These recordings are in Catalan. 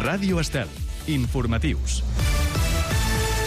Ràdio Estel. Informatius.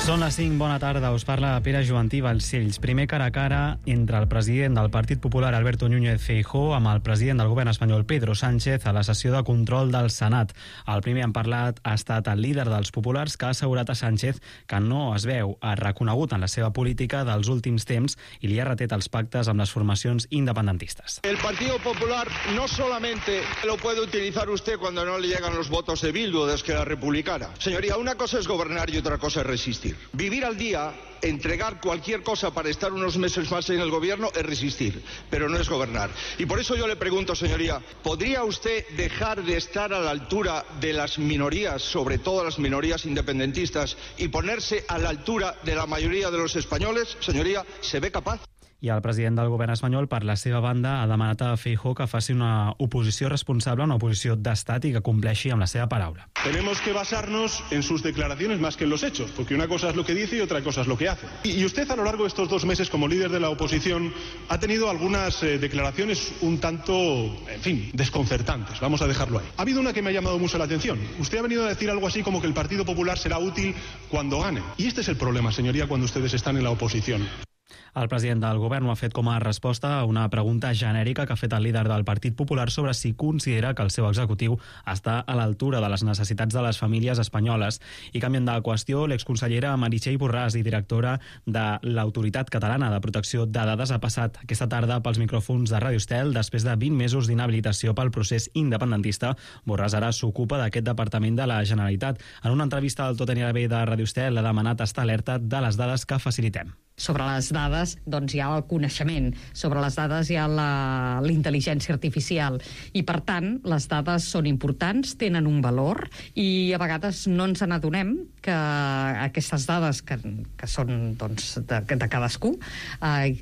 Són les 5, bona tarda, us parla Pere Joantí Balcells. Primer cara a cara entre el president del Partit Popular, Alberto Núñez Feijóo, amb el president del govern espanyol, Pedro Sánchez, a la sessió de control del Senat. El primer en parlat ha estat el líder dels populars, que ha assegurat a Sánchez que no es veu reconegut en la seva política dels últims temps i li ha retret els pactes amb les formacions independentistes. El Partido Popular no solamente lo puede utilizar usted cuando no le llegan los votos de Bildu o de Esquerra Republicana. Señoría, una cosa es gobernar y otra cosa es resistir. Vivir al día, entregar cualquier cosa para estar unos meses más en el gobierno es resistir, pero no es gobernar. Y por eso yo le pregunto, señoría, ¿podría usted dejar de estar a la altura de las minorías, sobre todo las minorías independentistas, y ponerse a la altura de la mayoría de los españoles? Señoría, ¿se ve capaz? I el president del govern espanyol, per la seva banda, ha demanat a Feijóo que faci una oposició responsable, una oposició d'estat i que compleixi amb la seva paraula. Tenemos que basarnos en sus declaraciones más que en los hechos, porque una cosa es lo que dice y otra cosa es lo que hace. Y usted a lo largo de estos 2 meses como líder de la oposición ha tenido algunas declaraciones un tanto, en fin, desconcertantes, vamos a dejarlo ahí. Ha habido una que me ha llamado mucho la atención. Usted ha venido a decir algo así como que el Partido Popular será útil cuando gane. Y este es el problema, señoría, cuando ustedes están en la oposición. El president del govern ho ha fet com a resposta a una pregunta genèrica que ha fet el líder del Partit Popular sobre si considera que el seu executiu està a l'altura de les necessitats de les famílies espanyoles. I canviant de qüestió, l'exconsellera Meritxell Borràs i directora de l'Autoritat Catalana de Protecció de Dades ha passat aquesta tarda pels micròfons de Ràdio Estel després de 20 mesos d'inhabilitació pel procés independentista. Borràs ara s'ocupa d'aquest departament de la Generalitat. En una entrevista al Tot anirà bé de Ràdio Estel ha demanat estar alerta de les dades que facilitem. Sobre les dades, doncs hi ha el coneixement. Sobre les dades hi ha la intel·ligència artificial. I, per tant, les dades són importants, tenen un valor, i a vegades no ens n'adonem que aquestes dades que són doncs, de cadascú,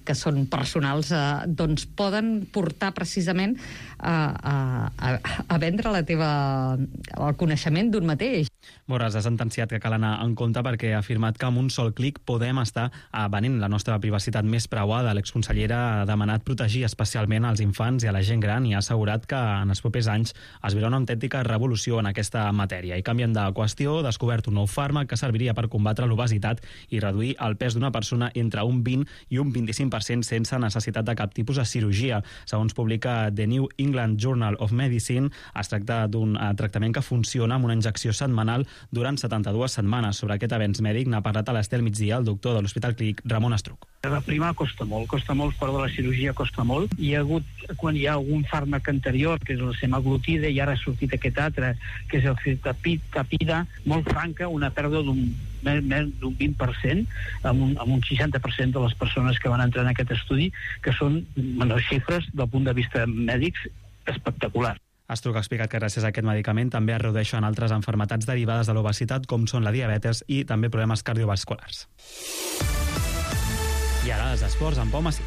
que són personals, doncs poden portar precisament a vendre el coneixement d'un mateix. Borràs ha sentenciat que cal anar en compte perquè ha afirmat que amb un sol clic podem estar venent la nostra privacitat més preuada. L'exconsellera ha demanat protegir especialment als infants i a la gent gran i ha assegurat que en els propers anys es veurà una autèntica revolució en aquesta matèria. I canviant de qüestió, ha descobert un nou fàrmac que serviria per combatre l'obesitat i reduir el pes d'una persona entre un 20 i un 25% sense necessitat de cap tipus de cirurgia. Segons publica The New England Journal of Medicine, es tracta d'un tractament que funciona amb una injecció setmanal durant 72 setmanes. Sobre aquest avenç mèdic n'ha parlat a l'Estel Migdia el doctor de l'Hospital Clínic Ramon Estruc. Reprimar costa molt, però de la cirurgia costa molt. Hi ha hagut, quan hi ha algun fàrmac anterior, que és la semaglutida, i ara ha sortit aquest altre, que és el Cirtapida, molt franca, una pèrdua d'un 20%, amb un 60% de les persones que van entrar en aquest estudi, que són xifres del punt de vista mèdics espectaculars. Estruc ha explicat que gràcies a aquest medicament també es redueixen altres malalties derivades de l'obesitat, com són la diabetes i també problemes cardiovasculars. I ara els esports amb Pau Massí.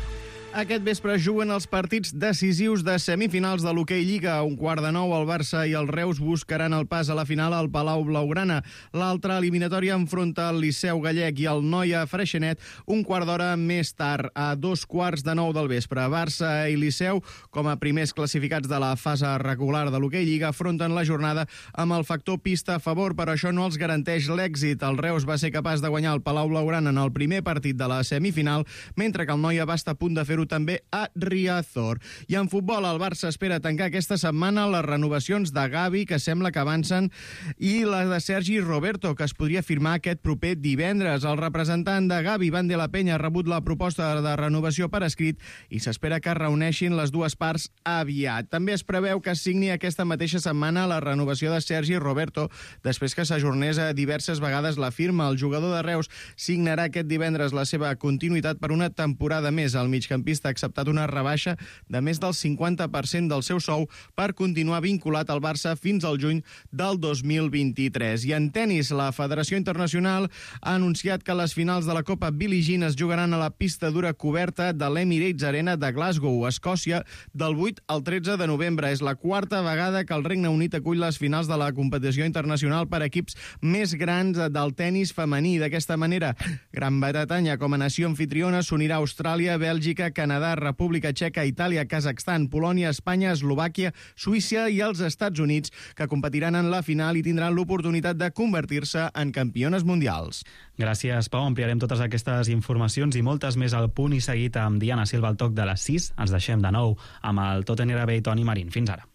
Aquest vespre juguen els partits decisius de semifinals de l'Hoquei Lliga. A 8:45 el Barça i el Reus buscaran el pas a la final al Palau Blaugrana. L'altra eliminatòria enfronta el Liceu Gallec i el Noia Freixenet 1/4 més tard, a 2:15 del vespre. Barça i Liceu, com a primers classificats de la fase regular de l'Hoquei Lliga, afronten la jornada amb el factor pista a favor, però això no els garanteix l'èxit. El Reus va ser capaç de guanyar el Palau Blaugrana en el primer partit de la semifinal, mentre que el Noia va estar a punt de fer-ho també a Riazor. I en futbol, el Barça espera tancar aquesta setmana les renovacions de Gavi, que sembla que avancen, i la de Sergi Roberto, que es podria firmar aquest proper divendres. El representant de Gavi, Van de la Peña, ha rebut la proposta de renovació per escrit i s'espera que es reuneixin les dues parts aviat. També es preveu que es signi aquesta mateixa setmana la renovació de Sergi Roberto, després que s'ajornés diverses vegades la firma. El jugador de Reus signarà aquest divendres la seva continuïtat per una temporada més. El migcampista ha acceptat una rebaixa de més del 50% del seu sou per continuar vinculat al Barça fins al juny del 2023. I en tennis, la Federació Internacional ha anunciat que les finals de la Copa Billie Jean es jugaran a la pista dura coberta de l'Emirates Arena de Glasgow, Escòcia, del 8 al 13 de novembre. És la quarta vegada que el Regne Unit acull les finals de la competició internacional per equips més grans del tennis femení. D'aquesta manera, Gran Bretanya, com a nació anfitriona, s'unirà a Austràlia, Bèlgica, Canadà, República Txeca, Itàlia, Kazakhstan, Polònia, Espanya, Eslovàquia, Suïssa i els Estats Units, que competiran en la final i tindran l'oportunitat de convertir-se en campiones mundials. Gràcies, Pau. Ampliarem totes aquestes informacions i moltes més al punt i seguit amb Diana Silva al toc de les 6. Ens deixem de nou amb el Tot anirà bé i Toni Marín. Fins ara.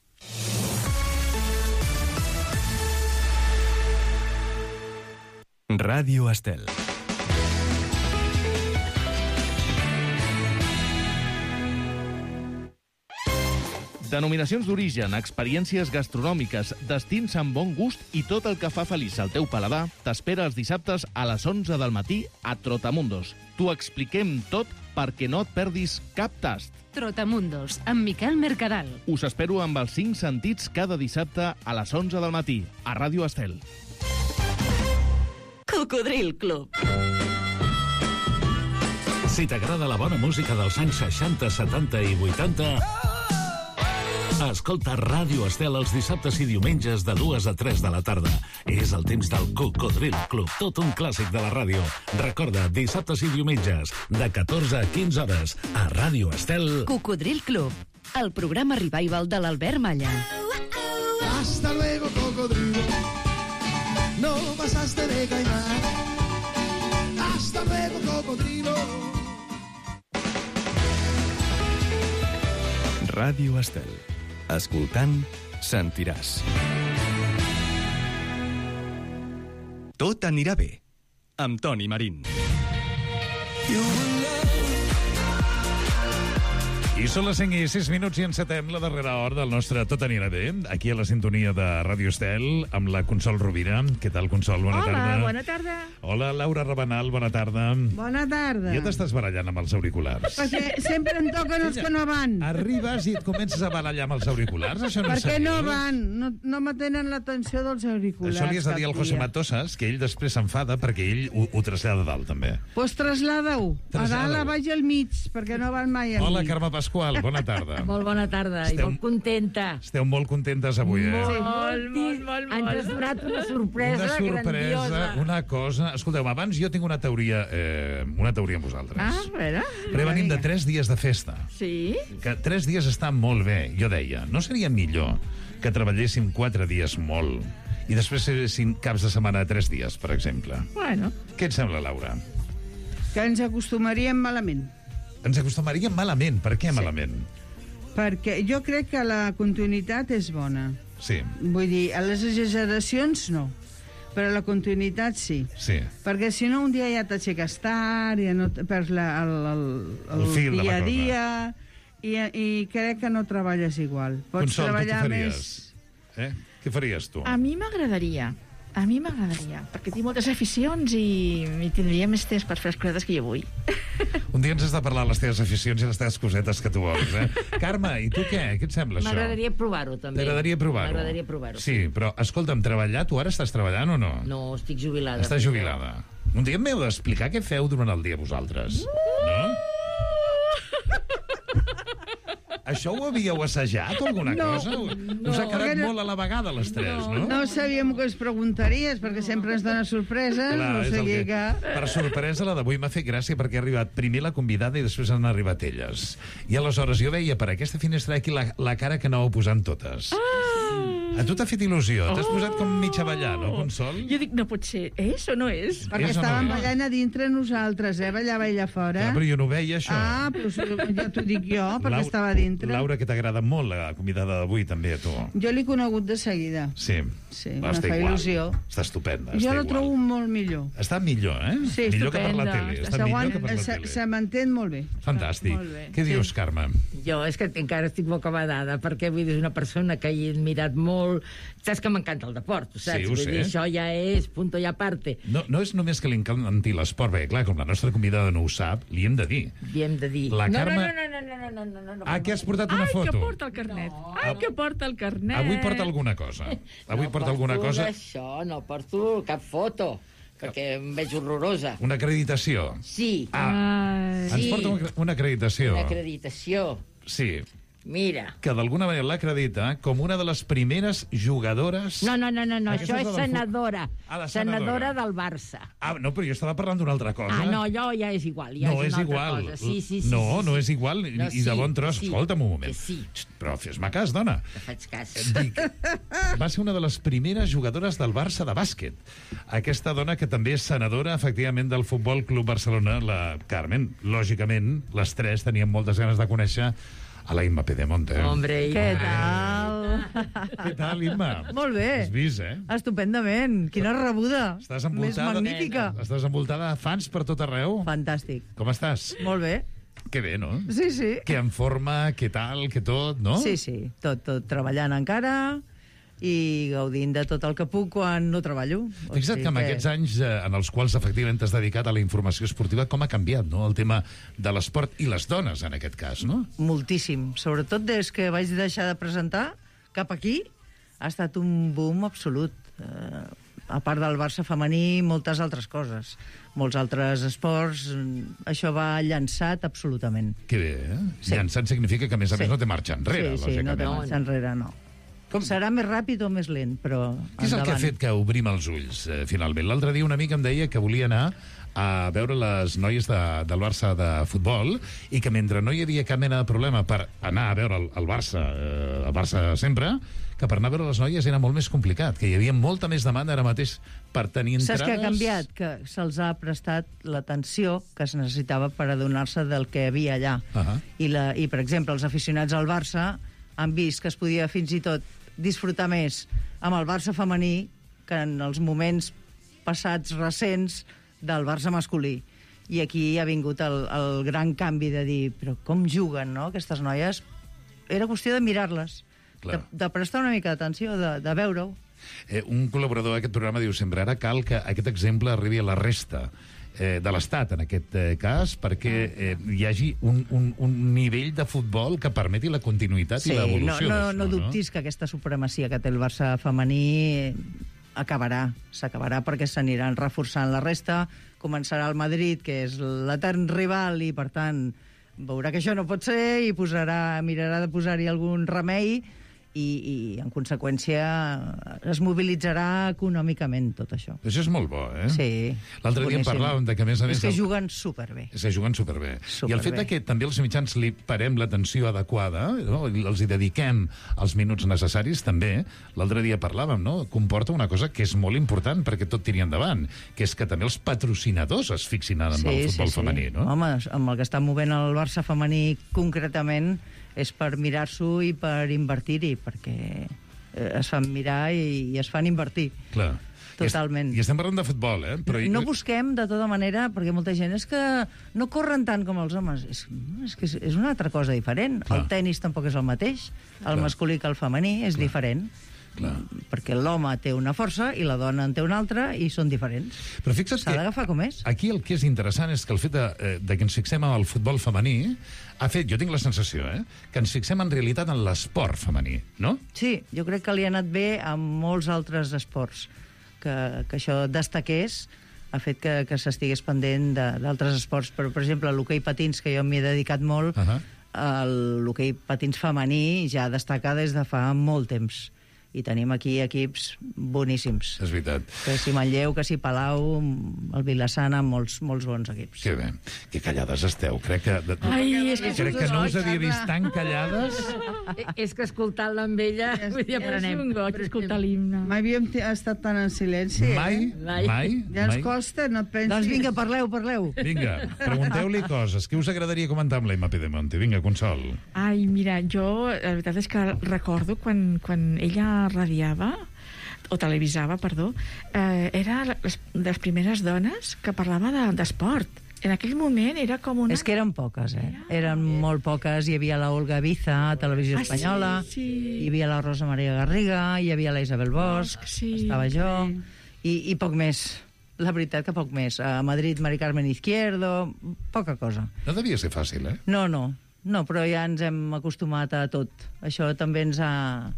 Ràdio Estel. Denominacions d'origen, experiències gastronòmiques, destins amb bon gust i tot el que fa feliç el teu paladar t'espera els dissabtes a les 11 del matí a Trotamundos. T'ho expliquem tot perquè no et perdis cap tast. Trotamundos, amb Miquel Mercadal. Us espero amb els 5 sentits cada dissabte a les 11 del matí a Ràdio Estel. Cocodril Club. Si t'agrada la bona música dels anys 60, 70 i 80... escolta Ràdio Estel els dissabtes i diumenges de 2 a 3 de la tarda. És el temps del Cocodril Club, tot un clàssic de la ràdio. Recorda, dissabtes i diumenges, de 14 a 15 hores, a Ràdio Estel. Cocodril Club, el programa revival de l'Albert Malla. Hasta luego, cocodrilo. No pasaste de caimán. Hasta luego, cocodrilo. Ràdio Estel. Escoltant, sentiràs. Tot anirà bé, amb Toni Marín. I són les 5 i 6 minuts i encetem la darrera hora del nostre Tot anirà bé, aquí a la sintonia de Ràdio Estel, amb la Consol Rovira. Què tal, Consol? Bona tarda. Hola, bona tarda. Hola, Laura Rabanal, bona tarda. Bona tarda. Ja t'estàs barallant amb els auriculars. Perquè sempre em toquen els que no van. Arribes i et comences a barallar amb els auriculars? Això no és Perquè no seriós? van, no m'atenen l'atenció dels auriculars. Això li has de dir al José Matosas, que ell després s'enfada perquè ell ho trasllada a dalt, també. Doncs traslada-ho. A dalt, a baix i al mig, perquè no van mai al mig. Hola, Carme Pasqual, bona tarda. Molt bona tarda i molt contenta. Esteu molt contentes avui, eh? Molt. Ens has donat una sorpresa grandiosa. Una cosa... Escolteu, abans jo tinc una teoria amb vosaltres. A veure. Però venim de 3 dies de festa. Sí? Que 3 dies estan molt bé. Jo deia, no seria millor que treballéssim 4 dies molt i després fessin caps de setmana de 3 dies, per exemple? Bueno. Què et sembla, Laura? Que ens acostumaríem malament. Ens acostumaríem malament. Per què malament? Perquè jo crec que la continuïtat és bona. Sí. Vull dir, a les exageracions no, però la continuïtat sí. Sí. Perquè si no un dia ja t'aixeques tard, ja no perds el fil de la dia a cosa. dia i crec que no treballes igual. Pots Consol, treballar tu què faries? Què faries tu? A mi m'agradaria, perquè tinc moltes aficions i tindria més temps per fer les cosetes que jo vull. Un dia ens has de parlar de les teves aficions i les teves cosetes que tu vols, eh? Carme, i tu què? Què et sembla, això? M'agradaria provar-ho, també. T'agradaria provar-ho? M'agradaria provar-ho. Sí, però, escolta'm, treballar, tu ara estàs treballant o no? No, estic jubilada. Estàs jubilada. Un dia m'heu d'explicar què feu durant el dia vosaltres. No? Això ho havíeu assajat o alguna cosa? Us ha quedat molt a la vegada, les tres, no? No sabíem que us preguntaries, perquè sempre ens dona sorpreses. Clar, o sigui que... Per sorpresa, la d'avui m'ha fet gràcia perquè ha arribat primer la convidada i després han arribat elles. I aleshores jo veia per aquesta finestra aquí la cara que anàveu posant totes. A tu t'ha fet il·lusió? T'has posat com mig a ballar, no, Consol? Jo dic, no pot ser, és o no és? Perquè estàvem ballant a dintre nosaltres, ballava ella fora. Clar, però jo no veia això. Però ja t'ho dic jo, perquè estava a dintre. Laura, que t'agrada molt la convidada d'avui, també, a tu. Jo l'he conegut de seguida. Sí. Me fa il·lusió. Està estupenda. Jo la trobo molt millor. Està millor, eh? Sí, millor que per la tele. Està millor que per la tele. Se m'entén molt bé. Fantàstic. Què dius, Carme? Jo és que encara estic bocabadada, perquè vull dir, és una persona que he admirat molt. Saps que m'encanta el deport, tu saps? Sí, ho sé. Vull dir, això ja és punto i aparte. No és només que li encanti l'esport, perquè, clar, com la nostra convidada no ho sap, li hem de dir. Li hem de dir. La Carme... No. Ah, que has portat una foto? Ai, que porta el carnet. Ai, que porta el carnet. Avui porta alguna cosa. Avui porta alguna cosa... Això, no porto cap foto, perquè em veig horrorosa. Una acreditació? Sí. Ens porta una acreditació. Una acreditació. Sí. Mira. que d'alguna manera l'acredita com una de les primeres jugadores... No, Aquesta això és la del senadora. Ah, la Senadora del Barça. Ah, no, però jo estava parlant d'una altra cosa. No, allò ja és igual. Ja no és és una igual. altra cosa. Sí. No és igual, No, i de bon tros. sí, Escolta'm un moment. sí. Però fes-me cas, dona. Te faig cas. Dic, va ser una de les primeres jugadores del Barça de bàsquet. Aquesta dona que també és senadora, efectivament, del Futbol Club Barcelona, la Carmen. Lògicament, les tres tenien moltes ganes de conèixer a la Imma Pedemonte. Hombre, Què tal? Què tal, Imma? Molt bé. Has vist, eh? Estupendament. Quina rebuda. Estàs Més magnífica. Estàs envoltada de fans per tot arreu? Fantàstic. Com estàs? Molt bé. Que bé, no? Sí. Que en forma, que tal, que tot, no? Sí. Tot treballant encara i gaudint de tot el que puc quan no treballo. Fixa't que en aquests anys en els quals efectivament t'has dedicat a la informació esportiva, com ha canviat, no?, el tema de l'esport i les dones, en aquest cas, no? Moltíssim. Sobretot des que vaig deixar de presentar cap aquí, ha estat un boom absolut. A part del Barça femení, moltes altres coses. Molts altres esports. Això va llançat absolutament. Que bé, eh? Sí. Llançat significa que, a més a més, no té marxa enrere, sí, lògicament. no té marxa enrere, no. Serà més ràpid o més lent, però Què és el que ha fet que obrim els ulls, finalment? L'altre dia un amic em deia que volia anar a veure les noies del Barça de futbol i que mentre no hi havia cap mena de problema per anar a veure el Barça sempre, que per anar a veure les noies era molt més complicat, que hi havia molta més demanda ara mateix per tenir entrades... Saps què ha canviat? Que se'ls ha prestat l'atenció que es necessitava per adonar-se del que hi havia allà. I, per exemple, els aficionats al Barça han vist que es podia fins i tot disfrutar més amb el Barça femení que en els moments passats recents del Barça masculí. I aquí ha vingut el gran canvi de dir, però com juguen, no?, aquestes noies. Era qüestió de mirar-les, de prestar una mica d'atenció, de veure-ho. Un col·laborador d'aquest programa diu sempre, ara cal que aquest exemple arribi a la resta de l'Estat, en aquest cas, perquè hi hagi un nivell de futbol que permeti la continuïtat i l'evolució. No dubtis que aquesta supremacia que té el Barça femení s'acabarà perquè s'aniran reforçant la resta. Començarà el Madrid, que és l'etern rival, i per tant veurà que això no pot ser i mirarà de posar-hi algun remei i en conseqüència es mobilitzarà econòmicament tot això. Això és molt bo, eh? Sí. L'altre dia en parlàvem de que, a més a més... És que juguen superbé. És que juguen superbé. I el fet que també els mitjans li parem l'atenció adequada, no?, els hi dediquem els minuts necessaris, també, l'altre dia parlàvem, no?, comporta una cosa que és molt important perquè tot tiri endavant, que és que també els patrocinadors es fixin en el futbol femení, no? Home, amb el que està movent el Barça femení concretament és per mirar-s'ho i per invertir-hi, perquè es fan mirar i es fan invertir. Clar. Totalment. I estem parlant de futbol, eh? Però... No busquem, de tota manera, perquè molta gent és que no corren tant com els homes. És que és una altra cosa diferent. Clar. El tenis tampoc és el mateix. El masculí que el femení és diferent. Clar. Perquè l'home té una força i la dona en té una altra i són diferents. Però fixa't s'ha d'agafar com és. Aquí el que és interessant és que el fet de que ens fixem en el futbol femení ha fet, jo tinc la sensació, que ens fixem en realitat en l'esport femení, no? Sí, jo crec que li ha anat bé a molts altres esports. Que això destaqués ha fet que s'estigués pendent d'altres esports. Però, per exemple, l'hoquei patins, que jo m'hi he dedicat molt, l'hoquei patins femení ja destaca des de fa molt temps. I tenim aquí equips boníssims. És veritat. Que si Manlleu, que si Palau, el Vilassana, molts bons equips. Que bé. Que callades esteu. Crec que... Crec que no us havia vist tan callades. És que escoltant-la amb ella, vull dir, aprenem. És un goig escoltar l'himne. Mai havíem estat tan en silenci, Mai? Ja ens costa, no et pensis. Doncs vinga, parleu. Vinga, pregunteu-li coses. Què us agradaria comentar amb la Imma Pedemonte? Vinga, Consol. Ai, mira, jo, la veritat és que recordo quan ella radiava, o televisava, perdó, era les primeres dones que parlava d'esport. En aquell moment era com una... És que eren poques, Eren molt poques. Hi havia la Olga Biza, a Televisió Espanyola, hi havia la Rosa Maria Garriga, hi havia la Isabel Bosch, estava jo, i poc més. La veritat que poc més. A Madrid, Mari Carmen Izquierdo, poca cosa. No devia ser fàcil, eh? No, però ja ens hem acostumat a tot. Això també ens ha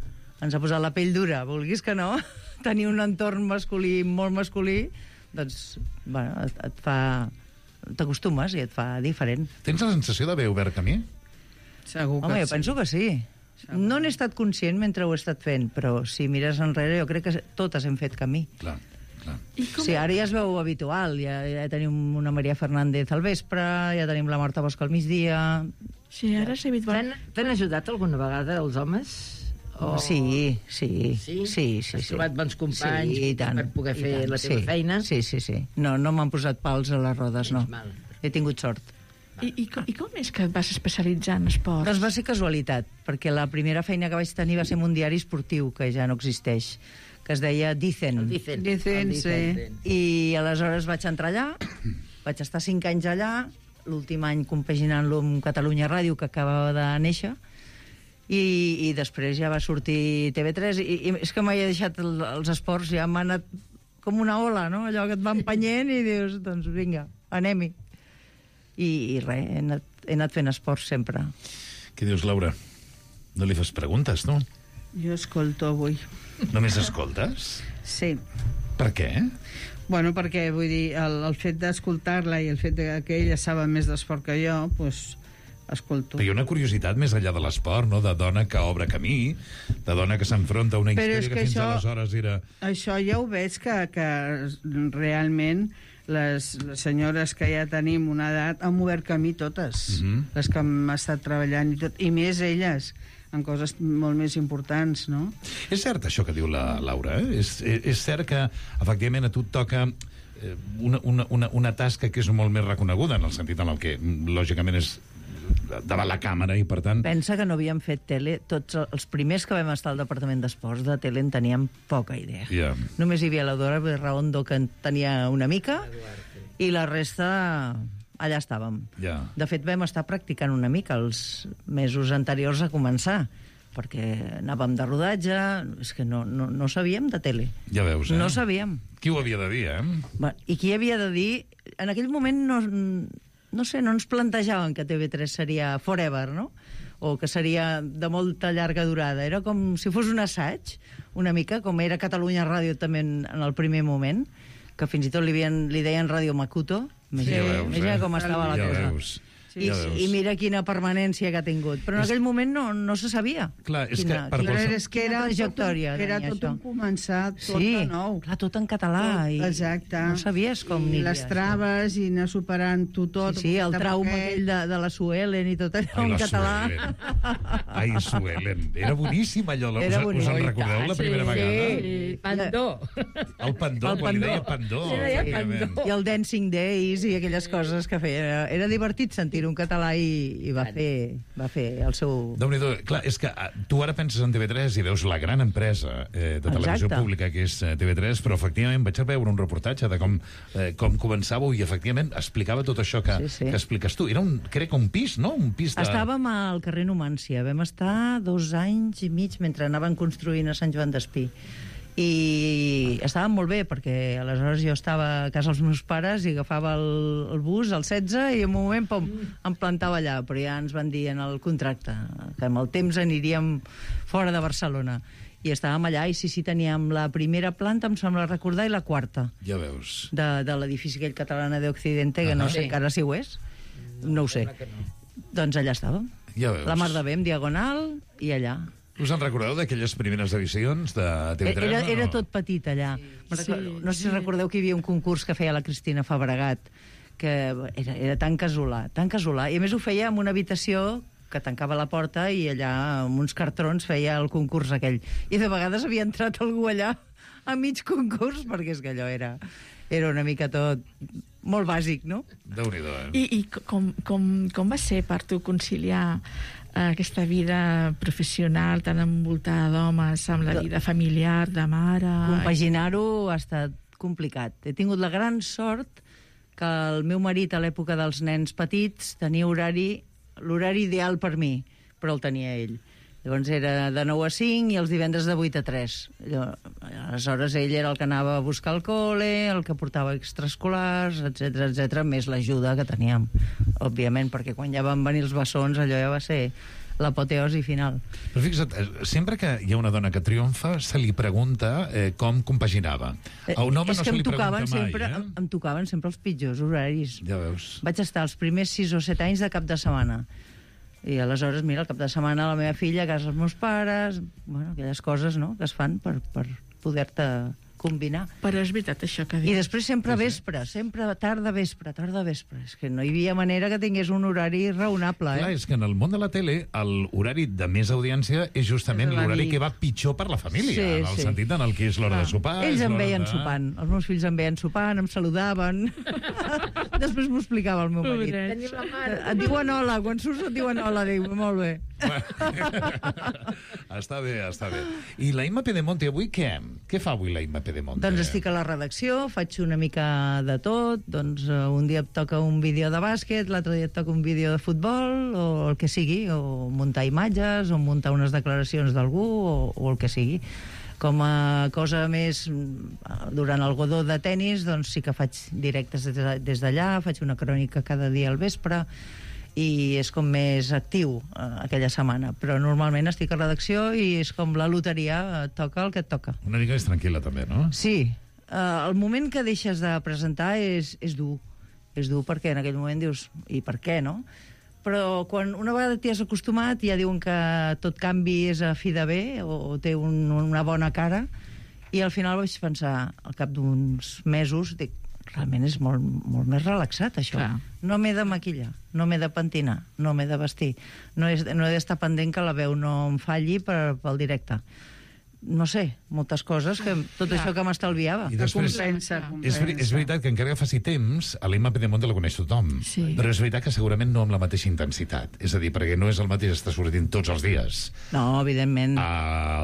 posat la pell dura, vulguis que no. Tenir un entorn masculí, molt masculí, doncs, bueno, t'acostumes i et fa diferent. Tens la sensació d'haver obert camí? Segur que Home, jo sí. penso que sí. No n'he estat conscient mentre ho he estat fent, però si mires enrere jo crec que totes hem fet camí. Clar. Sí, ara ja es veu habitual. Ja tenim una Maria Fernández al vespre, ja tenim la Marta Bosch al migdia... Sí, ara és habitual. T'han ajudat alguna vegada els homes? O... Sí. Has trobat bons companys i tant, per poder fer la teva feina? Sí. No m'han posat pals a les rodes, no. He tingut sort. I com és que et vas especialitzar en esports? Doncs va ser casualitat, perquè la primera feina que vaig tenir va ser en un diari esportiu, que ja no existeix, que es deia Dicen. Dicen, sí. I aleshores vaig entrar allà, vaig estar 5 anys allà, l'últim any compaginant-lo amb Catalunya Ràdio, que acabava de néixer, i després ja va sortir TV3, i és que mai he deixat els esports, ja m'ha anat com una ola, no? Allò que et va empenyent i dius, doncs vinga, anem-hi. I res, he anat fent esports sempre. Què dius, Laura? No li fas preguntes, no? Jo escolto avui. Només escoltes? Sí. Per què? Bueno, perquè, vull dir, el fet d'escoltar-la i el fet que ella sabe més d'esport que jo, doncs escolto. Però hi ha una curiositat més enllà de l'esport, no? De dona que obre camí, de dona que s'enfronta a una història que fins aleshores era... Això ja ho veig que realment les senyores que ja tenim una edat han obert camí totes, les que hem estat treballant i tot, i més elles, en coses molt més importants, no? És cert això que diu la Laura, eh? És cert que, efectivament, a tu et toca una tasca que és molt més reconeguda, en el sentit en el que, lògicament, és davant la càmera i, per tant... Pensa que no havíem fet tele. Tots els primers que vam estar al Departament d'Esports de tele en teníem poca idea. Yeah. Només hi havia la Dora Berraondo, que en tenia una mica, i la resta allà estàvem. Yeah. De fet, vam estar practicant una mica els mesos anteriors a començar, perquè anàvem de rodatge, és que no sabíem de tele. Ja veus, eh? No sabíem. Qui ho havia de dir, eh? I qui havia de dir... En aquell moment no ens plantejaven que TV3 seria forever, no? O que seria de molta llarga durada. Era com si fos un assaig, una mica, com era Catalunya Ràdio també en el primer moment, que fins i tot li deien Ràdio Makuto. Imagina com estava la cosa. Veus. I mira quina permanència que ha tingut. Però en aquell moment no se sabia. Clar, és quina trajectòria. Era tot un començar, tot de nou. Clar, tot en català. Exacte. No sabies com I les traves, i anar superant-ho tot. Sí, el trauma aquell de la Suelen i tot allò en català. Ai, Suelen. Era boníssim allò. Us en recordeu la primera vegada? Sí, Pandó. El Pandó, quan li deia Pandó. I el Dancing Days i aquelles coses que feia. Era divertit sentir un català i va fer el seu... Déu-n'hi-do. Clar, és que tu ara penses en TV3 i veus la gran empresa de televisió pública que és TV3, però efectivament vaig a veure un reportatge de com començàveu i efectivament explicava tot això que expliques tu. Era crec un pis, no? Un pis de... Estàvem al carrer Numància. Vam estar 2 anys i mig mentre anaven construint a Sant Joan d'Espí. I estàvem molt bé, perquè aleshores jo estava a casa dels meus pares i agafava el bus, el 16, i en un moment, pom, em plantava allà. Però ja ens van dir en el contracte que amb el temps aniríem fora de Barcelona. I estàvem allà i sí, teníem la primera planta, em sembla recordar, i la quarta. Ja veus. De l'edifici aquell Catalana de Occidente, que no sé encara si ho és. No ho sé. Doncs allà estàvem. Ja veus. La Mar de Bé, en diagonal, i allà. Us en recordeu d'aquelles primeres edicions de TV3? Era tot petit allà. Sí. No sé si recordeu que hi havia un concurs que feia la Cristina Fabregat, que era tan casolà. I a més ho feia en una habitació que tancava la porta i allà amb uns cartrons feia el concurs aquell. I de vegades havia entrat algú allà a mig concurs, perquè és que allò era una mica tot molt bàsic, no? Déu-n'hi-do, I com va ser per tu conciliar aquesta vida professional tan envoltada d'homes amb la vida familiar, de mare... Compaginar-ho ha estat complicat. He tingut la gran sort que el meu marit a l'època dels nens petits tenia l'horari ideal per mi, però el tenia ell. Llavors era de 9 a 5 i els divendres de 8 a 3. Aleshores ell era el que anava a buscar el col·le, el que portava extraescolars, etc, més l'ajuda que teníem, òbviament, perquè quan ja van venir els bessons allò ja va ser l'apoteosi final. Però fixa't, sempre que hi ha una dona que triomfa, se li pregunta com compaginava. A un home no se li pregunta mai, Em tocaven sempre els pitjors horaris. Ja veus. Vaig estar els primers 6 o 7 anys de cap de setmana. I aleshores, mira, el cap de setmana la meva filla a casa dels meus pares, bueno, aquelles coses, no?, que es fan per poder-te combinar. Però és veritat això que dius. I després sempre vespre, sempre tarda vespre. És que no hi havia manera que tingués un horari raonable, Clar, és que en el món de la tele l'horari de més audiència és justament l'horari que va pitjor per la família, en el sentit en el que és l'hora de sopar. Ells em veien sopant, els meus fills em veien sopant, em saludaven. Després m'ho explicava el meu marit. Tenim la mare. Et diuen hola, quan surts et diuen hola, diu, molt bé. Està bé. I la Imma Pedemonte avui què? Què fa avui la Imma Pedemonte? Doncs estic a la redacció, faig una mica de tot, doncs un dia et toca un vídeo de bàsquet, l'altre dia et toca un vídeo de futbol, o el que sigui, o muntar imatges, o muntar unes declaracions d'algú, o el que sigui. Com a cosa més, durant el Godó de tennis, doncs sí que faig directes des d'allà, faig una crònica cada dia al vespre, i és com més actiu aquella setmana, però normalment estic a redacció i és com la loteria, et toca el que et toca. Una mica més tranquil·la també, no? Sí, el moment que deixes de presentar és dur perquè en aquell moment dius, i per què, no? Però quan una vegada t'hi has acostumat ja diuen que tot canvi és a fi de bé o té una bona cara, i al final vaig pensar, al cap d'uns mesos, dic, realment és molt, molt més relaxat, això. Clar. No m'he de maquillar, no m'he de pentinar, no m'he de vestir, no he d'estar pendent que la veu no em falli pel directe. No sé, moltes coses, tot això que m'estalviava. I després, Compensa. és veritat que encara que faci temps, a l'Imma Pedemonte la coneix tothom, però és veritat que segurament no amb la mateixa intensitat. És a dir, perquè no és el mateix estar sortint tots els dies. No, evidentment.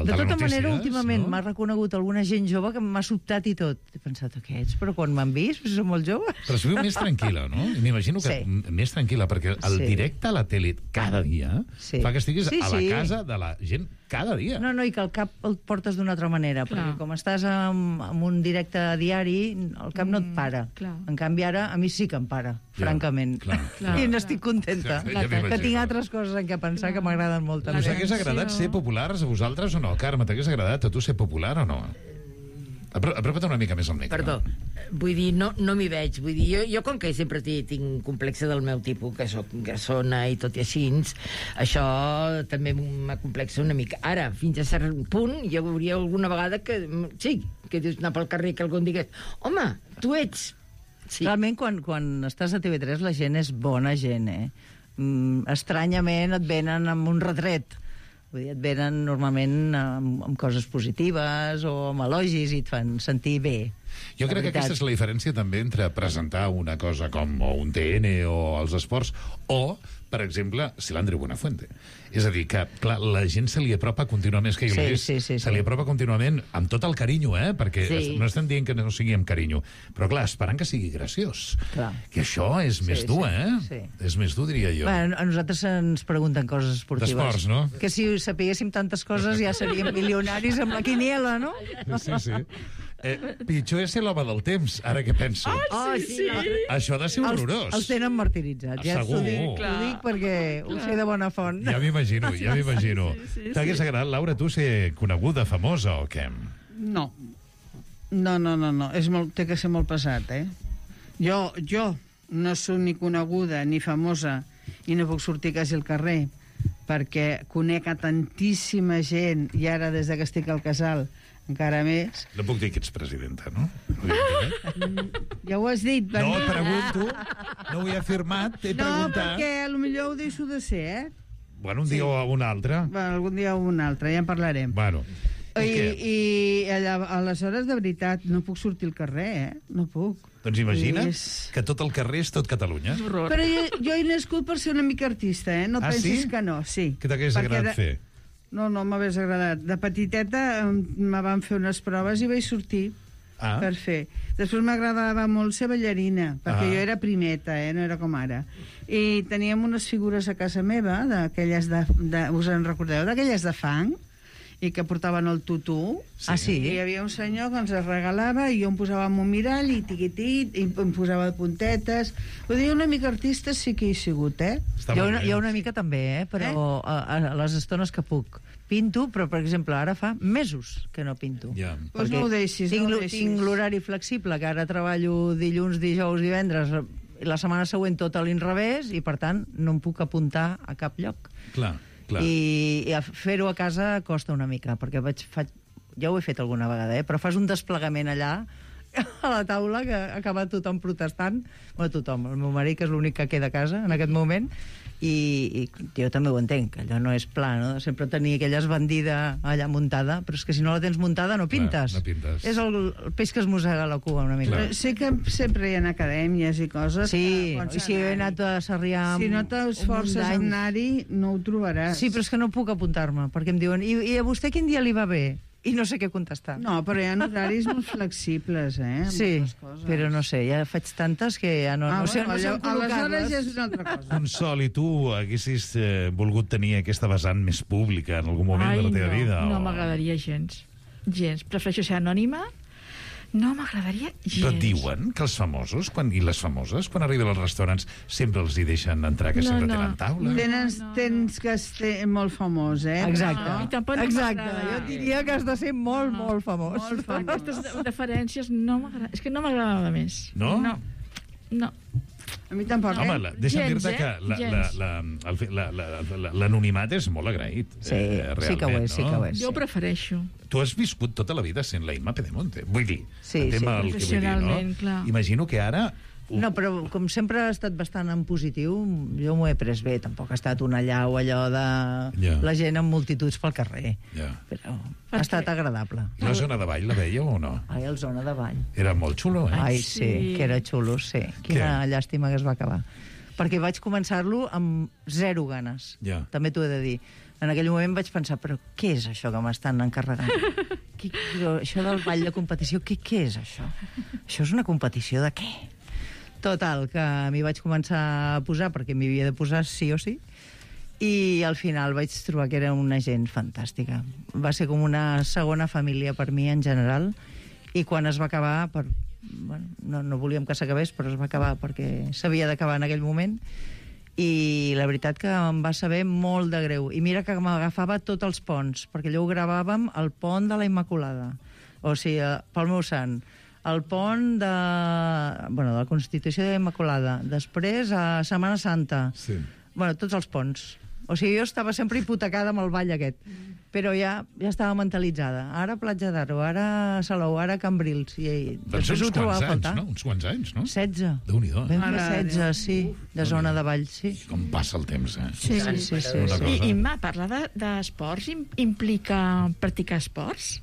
De tota manera, últimament m'ha reconegut alguna gent jove que m'ha sobtat i tot. He pensat, aquests, però quan m'han vist, són molt joves. Però es viu més tranquil·la, no? M'imagino que més tranquil·la, perquè el directe a la tele cada dia fa que estiguis a la casa de la gent cada dia. No, i que el cap el portes d'una altra manera, perquè com estàs en un directe diari, el cap no et para. En canvi, ara, a mi sí que em para, francament. I n'estic contenta, que tinc altres coses en què pensar que m'agraden molt. Us hagués agradat ser populars a vosaltres o no? Carme, t'hagués agradat a tu ser popular o no? Apropa't una mica més al micro. Perdó, vull dir, no m'hi veig. Vull dir, jo com que sempre tinc complexe del meu tipus, que soc gassona i tot i així, això també m'acomplexa una mica. Ara, fins a cert punt, hi hauria alguna vegada que, sí, que dius anar pel carrer que algú em digués, home, tu ets... Sí. Realment, quan estàs a TV3, la gent és bona gent, estranyament et venen amb un retret. Vull dir, et venen normalment amb coses positives o amb elogis i et fan sentir bé. Jo crec que aquesta és la diferència també entre presentar una cosa com un TN o els esports o, per exemple, Silandre Buenafuente. És a dir, que, clar, la gent se li apropa contínuament, que se li apropa contínuament amb tot el carinyo, perquè no estem dient que no sigui amb carinyo, però clar, esperant que sigui graciós. Que això és més dur, És més dur, diria jo. Bueno, a nosaltres ens pregunten coses esportives. D'esports, no? Que si sapiguéssim tantes coses ja seríem milionaris amb la quiniela, no? Sí. Pitjor és ser l'home del temps, ara que penso. Sí. Això ha de ser horrorós. Els tenen martiritzats. Ja segur. Ho dic perquè ho sé de bona font. Ja m'imagino. T'hagués agradat, Laura, tu ser coneguda, famosa o què? No. Té que ser molt pesat, Jo no soc ni coneguda ni famosa i no puc sortir quasi al carrer perquè conec a tantíssima gent i ara des que estic al casal encara més. No puc dir que ets presidenta, no? Ja ho has dit. No, et pregunto. No ho he afirmat, t'he preguntat. No, perquè potser ho deixo de ser, Bueno, un dia o un altre. Bueno, algun dia o un altre, ja en parlarem. Bueno. I aleshores, de veritat, no puc sortir al carrer, No puc. Doncs imagina't que tot el carrer és tot Catalunya. Però jo he nascut per ser una mica artista, No pensis que no, sí. Què t'hagués agradat fer? No m'hagués agradat. De petiteta me van fer unes proves i vaig sortir per fer. Després m'agradava molt ser ballarina, perquè jo era primeta, no era com ara. I teníem unes figures a casa meva, d'aquelles us en recordeu? D'aquelles de fang, i que portaven el tutú. Sí? I hi havia un senyor que ens regalava i jo em posava en un mirall i tiquitit, i em posava puntetes. Vull dir, una mica artista sí que he sigut, Jo una mica també, però a les estones que puc. Pinto, però, per exemple, ara fa mesos que no pinto. Doncs no ho deixis, Tinc l'horari flexible, que ara treballo dilluns, dijous, divendres, la setmana següent tot a l'inrevés i, per tant, no em puc apuntar a cap lloc. Clar. I fer-ho a casa costa una mica, perquè ja ho he fet alguna vegada, però fas un desplegament allà a la taula que acaba tothom protestant. Bueno, tothom, el meu marit, que és l'únic que queda a casa en aquest moment, i jo també ho entenc, que allò no és pla, no? Sempre tenir aquella esbandida allà muntada, però és que si no la tens muntada no pintes. Clar, no pintes. És el peix que es mossega la cua una mica. Però sé que sempre hi ha acadèmies i coses. Sí, i si he anat a Sarrià... Si no t'esforces a anar-hi, no ho trobaràs. Sí, però és que no puc apuntar-me, perquè em diuen, i a vostè quin dia li va bé? I no sé què contestar. No, però hi ha horaris molt flexibles, Sí, però no sé, ja faig tantes que ja no sé col·locar-les. Aleshores ja és una altra cosa. Consol, i tu haguessis volgut tenir aquesta vessant més pública en algun moment de la teva vida? No m'agradaria gens. Prefereixo ser anònima. No m'agradaria gens. Però et diuen que els famosos i les famoses, quan arriben als restaurants, sempre els hi deixen entrar, que sempre tenen taula? Tens que ser molt famós, Exacte. Exacte. Jo diria que has de ser molt, molt famós. Molt famós. Aquestes deferències no m'agrada. És que no m'agradava més. No? No. A mi tampoc. Home, deixa'm dir-te que l'anonimat és molt agraït. Sí, sí que ho és, sí que ho és. Jo ho prefereixo. Tu has viscut tota la vida sent la Imma Pedemonte. Vull dir, professionalment, clar. Imagino que ara... No, però com sempre ha estat bastant en positiu, jo m'ho he pres bé. Tampoc ha estat una allau allò de la gent amb multituds pel carrer. Però ha estat agradable. I la zona de ball la veieu o no? Ai, el zona de ball. Era molt xulo, Ai, sí, que era xulo, sí. Quina llàstima que es va acabar. Perquè vaig començar-lo amb zero ganes. També t'ho he de dir. En aquell moment vaig pensar, però què és això que m'estan encarregant? Això del ball de competició, què és això? Això és una competició de què? Total, que m'hi vaig començar a posar perquè m'hi havia de posar sí o sí, i al final vaig trobar que era una gent fantàstica. Va ser com una segona família per mi en general, i quan es va acabar, no volíem que s'acabés, però es va acabar perquè s'havia d'acabar en aquell moment, i la veritat que em va saber molt de greu. I mira que m'agafava tots els ponts, perquè allò ho gravàvem al pont de la Immaculada, o sigui, pel meu sant, el pont de la Constitució de la Immaculada, després a Setmana Santa, tots els ponts. O sigui, jo estava sempre hipotecada amb el ball aquest, però ja estava mentalitzada. Ara Platja d'Aro, ara Salou, ara Cambrils, i després ho trobava a faltar. Uns quants anys, no? 16. Déu-n'hi-do. Vam fer 16, sí, de zona de ball, sí. Com passa el temps, Sí. I parlar d'esports implica practicar esports?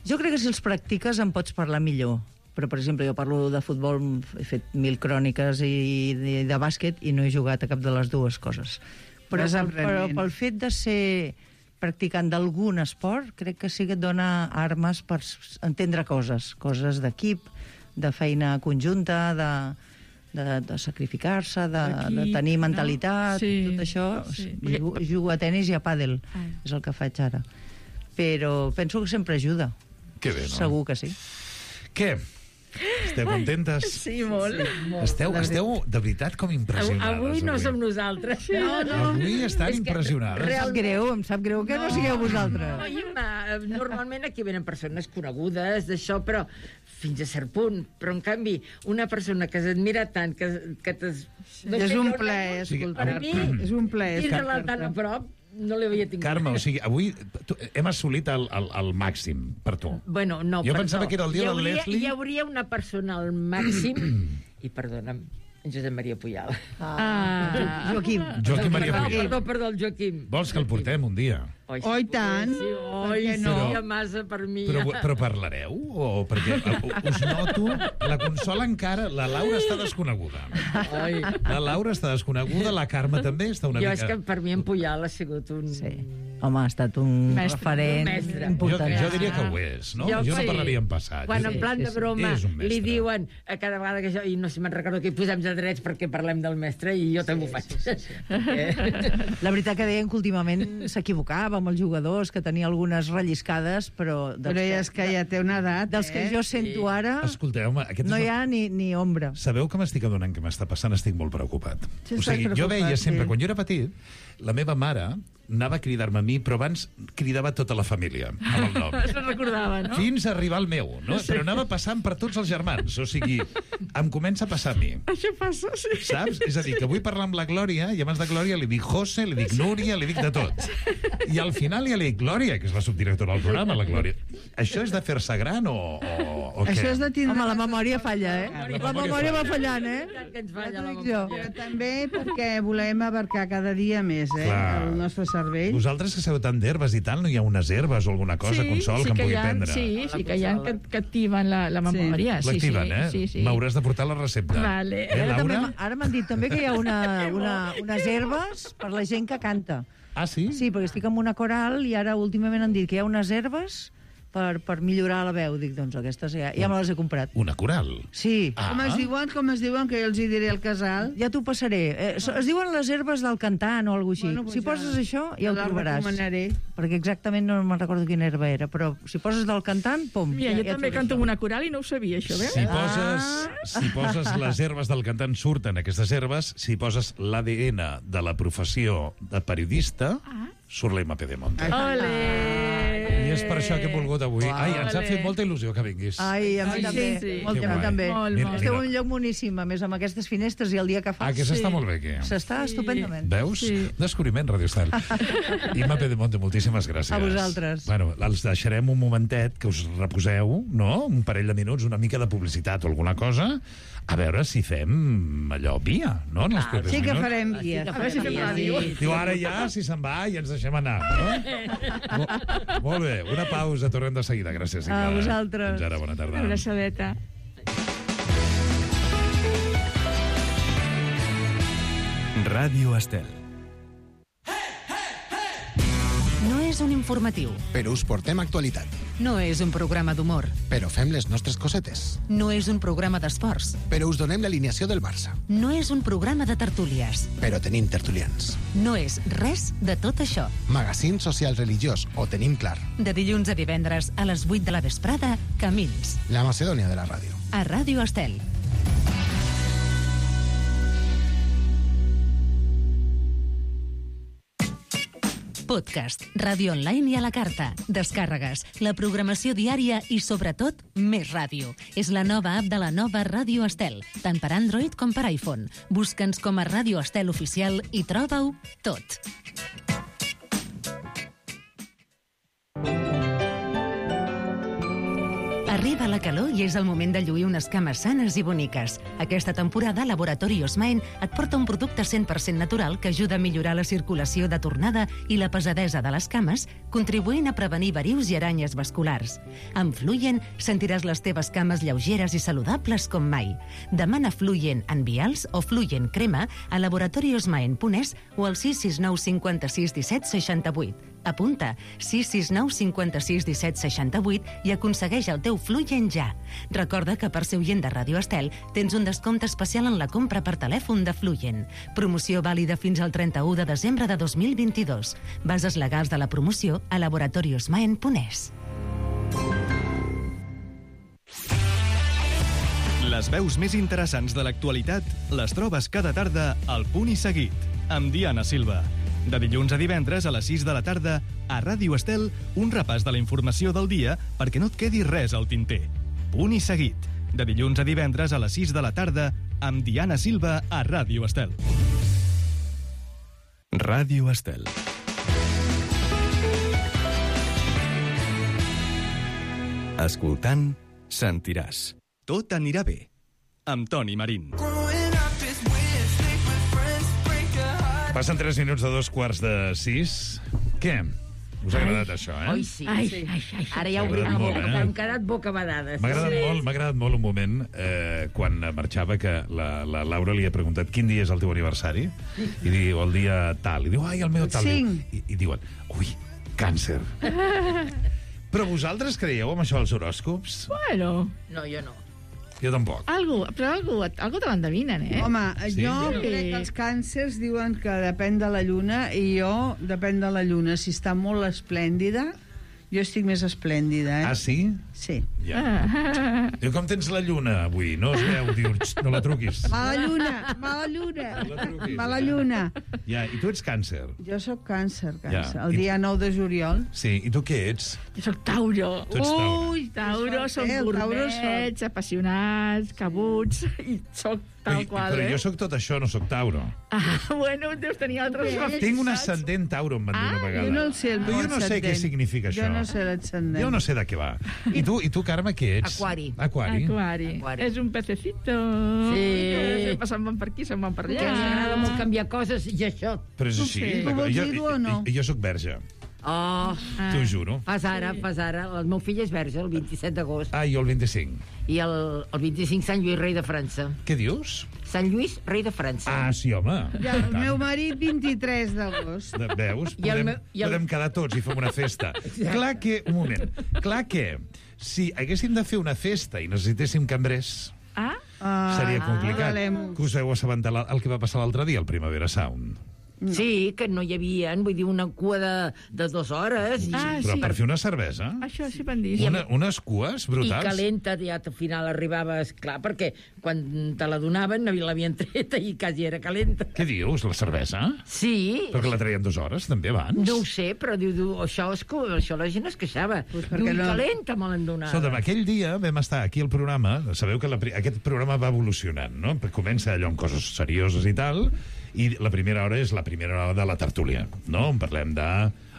Jo crec que si els practiques en pots parlar millor. Però, per exemple, jo parlo de futbol, he fet 1000 cròniques i de bàsquet i no he jugat a cap de les dues coses. Però pel fet de ser practicant d'algun esport, crec que sí que et dona armes per entendre coses d'equip, de feina conjunta, de sacrificar-se, de tenir mentalitat, tot això. Jugo a tenis i a pàdel, és el que faig ara. Però penso que sempre ajuda. Que bé, no? Segur que sí. Què? Esteu contentes? Sí, molt. Esteu de veritat com impressionades. Avui no som nosaltres. No. Avui estan impressionades. Em sap greu que no sigueu vosaltres. Normalment aquí venen persones conegudes d'això, però fins a cert punt. Però, en canvi, una persona que s'admira tant, que és un plaer escoltar. Per mi, és un plaer. tindre-la tan a prop, no l'havia tingut. Carme, o sigui, avui hem assolit el màxim per tu. Bueno, no, jo pensava que era el dia del Leslie. Hi hauria una persona al màxim, i perdona'm, en Josep Maria Pujal. Joaquim Maria Pujal. Perdó, el Joaquim. Vols que el portem un dia? Oi, tant. Seria massa per mi. Però parlareu? Perquè us noto, la Consol encara, la Laura està desconeguda. La Laura està desconeguda, la Carme també està una mica... Jo és que per mi en Pujal ha sigut un... Home, ha estat un referent important. Jo diria que ho és, no? Jo no parlaria en passat. Quan en plan de broma li diuen a cada vegada que jo, i no sé si me'n recordo que hi posem de drets perquè parlem del mestre, i jo també ho faig. La veritat que deien que últimament s'equivocava amb els jugadors, que tenia algunes relliscades, però... Però és que ja té una edat, dels que jo sento ara, no hi ha ni ombra. Sabeu que m'estic adonant que m'està passant? Estic molt preocupat. O sigui, jo veia sempre, quan jo era petit, la meva mare anava a cridar-me a mi, però abans cridava tota la família, amb el nom. Es recordava, no? Fins a arribar al meu, no? Però anava passant per tots els germans. O sigui, em comença a passar a mi. Això passa, sí. Saps? És a dir, que vull parlar amb la Glòria, i abans de Glòria li dic José, li dic Núria, li dic de tot. I al final ja li dic Glòria, que és la subdirectora del programa, la Glòria. Això és de fer-se gran o què? Això és de tindre... Home, la memòria falla, La memòria va fallant, Que ens falla la Però també perquè volem abarcar cada dia més, Clar. el nostre cervell. Vosaltres que sabeu tant d'herbes i tal, no hi ha unes herbes o alguna cosa, Consol, que em pugui prendre? Sí que hi ha que activen la memòria. L'activen, Sí. M'hauràs de portar la recepta. Vale. Laura? Ara m'han dit també que hi ha unes herbes per la gent que canta. Ah, sí? Sí, perquè estic amb una coral i ara últimament han dit que hi ha unes herbes per millorar la veu. Dic, doncs aquestes ja me les he comprat. Una coral? Sí. Ah. Com es diuen, que jo els hi diré al casal? Ja t'ho passaré. Es diuen les herbes del cantant o alguna cosa així. Bueno, pues si poses això, ja ho la trobaràs. recomanaré. Perquè exactament no me'n recordo quina herba era, però si poses del cantant, pum. Mira, jo també canto amb una coral i no ho sabia, això, veus? Si poses les herbes del cantant, surten aquestes herbes. Si poses l'ADN de la professió de periodista, surt l'MP de Monte. I és per això que he volgut avui. Ai, ens ha fet molta il·lusió que vinguis. Ai, a mi també. Molt, també. Esteu en un lloc boníssim, a més, amb aquestes finestres i el dia que fa. Que s'està molt bé, aquí. S'està estupendament. Veus? Descobriment, Radio Estel. Imma Pedemonte, moltíssimes gràcies. A vosaltres. Bueno, els deixarem un momentet que us reposeu, no? Un parell de minuts, una mica de publicitat o alguna cosa, a veure si fem allò via, no? En els propers Sí que minuts. farem via. A veure si fem ràdio. Diu, ara ja, si se'n va, i ens deixem anar, no? Molt bé, una pausa, tornem de seguida. Gràcies, Imma. A vosaltres. Fins ara, bona tarda. Una abraçadeta. Ràdio Estel. No és un informatiu. Però us portem actualitat. No és un programa d'humor. Però fem les nostres cosetes. No és un programa d'esports. Però us donem l'alineació del Barça. No és un programa de tertúlies. Però tenim tertulians. No és res de tot això. Magazín social religiós, ho tenim clar. De dilluns a divendres a les 8 de la vesprada, Camins. La Macedònia de la ràdio. A Ràdio Estel. Podcast, ràdio online i a la carta, descàrregues, la programació diària i, sobretot, més ràdio. És la nova app de la nova Ràdio Estel, tant per Android com per iPhone. Busca'ns com a Ràdio Estel Oficial i troba-ho tot. Arriba la calor i és el moment de lluir unes cames sanes i boniques. Aquesta temporada, Laboratori Osmaen et porta un producte 100% natural que ajuda a millorar la circulació de tornada i la pesadesa de les cames, contribuint a prevenir varius i aranyes vasculars. Amb Fluyen sentiràs les teves cames lleugeres i saludables com mai. Demana Fluyen en vials o Fluyen crema a laboratoriosmaen.es o al 669 56 17 68. Apunta 669 56 17 68 i aconsegueix el teu Fluyen ja. Recorda que per ser oient de Ràdio Estel tens un descompte especial en la compra per telèfon de Fluyen. Promoció vàlida fins al 31 de desembre de 2022. Bases legals de la promoció a laboratoriosmaen.es. Les veus més interessants de l'actualitat les trobes cada tarda al Punt i Seguit, amb Diana Silva. De dilluns a divendres a les 6 de la tarda, a Ràdio Estel, un repàs de la informació del dia perquè no et quedi res al tinter. Punt i Seguit. De dilluns a divendres a les 6 de la tarda, amb Diana Silva a Ràdio Estel. Ràdio Estel. Escoltant, sentiràs. Tot anirà bé. Amb Toni Marín. Passen 3 minuts de 2:45. Què? Us ha agradat això, eh? Oi, sí. Ara ja obrim la boca, hem quedat bocabadades. M'ha agradat molt un moment quan marxava que la Laura li ha preguntat quin dia és el teu aniversari i diu el dia tal, i diu, ai, el meu tal. I diuen, ui, càncer. Però vosaltres creieu en això dels horòscops? Bueno. No, jo no. Jo tampoc. Algo te l'endevinen, eh? Home, jo crec que els càncers diuen que depèn de la lluna i jo, depèn de la lluna. Si està molt esplèndida, Jo estic més esplèndida, Ah, sí? Sí. Ja. Diu, com tens la lluna avui? No es veu, diu, no la truquis. Mala lluna, mala lluna. Mala lluna. Ja, i tu ets càncer. Jo sóc càncer. Ja. El dia 9 de juliol. Sí, i tu què ets? Jo soc Tauro. Tu ets Tauro. Ui, Tauro, som gourmets, apassionats, cabuts, i soc tal qual, Però jo sóc tot això, no sóc Tauro. Bueno, deus tenir altres afectats. Tinc un ascendent Tauro, em van dir una vegada. Jo no el sé, el Però jo no sé què significa això. Jo no sé l'ascendent. Jo no sé de què va. I tu, Carme, què ets? Aquari. Aquari. És un pececito. Sí. Que sempre se'n van per aquí, se'n van per allà. Que ens agrada molt canviar coses i això. Però és així. Tu vols dir-ho o no? Jo sóc verge. Oh, T'ho juro. fas ara. El meu fill és verge, el 27 d'agost. Ah, jo el 25. I el 25 Sant Lluís, rei de França. Què dius? Sant Lluís, rei de França. Ah, sí, home. Ja, el meu marit, 23 d'agost. Veus? I el Podem quedar tots i fem una festa. Clar que, un moment, si haguéssim de fer una festa i necessitéssim cambrers, seria complicat. Que us heu assabentat el que va passar l'altre dia, al Primavera Sound. No. Sí, que no hi havia, vull dir, una cua de 2 hores. Però per fer una cervesa? Això sí van dir. Unes cues brutals. I calenta, ja al final arribaves, clar, perquè quan te la donaven l'havien treta i quasi era calenta. Què dius, la cervesa? Sí. Perquè la traien 2 hores, també, abans? No ho sé, però diu això la gent es queixava. Diu, calenta me l'han donat. Escolta'm, aquell dia vam estar aquí al programa, sabeu que aquest programa va evolucionant, no? Comença allò amb coses serioses i tal, i la primera hora és la primera hora de la tertúlia, no? On parlem de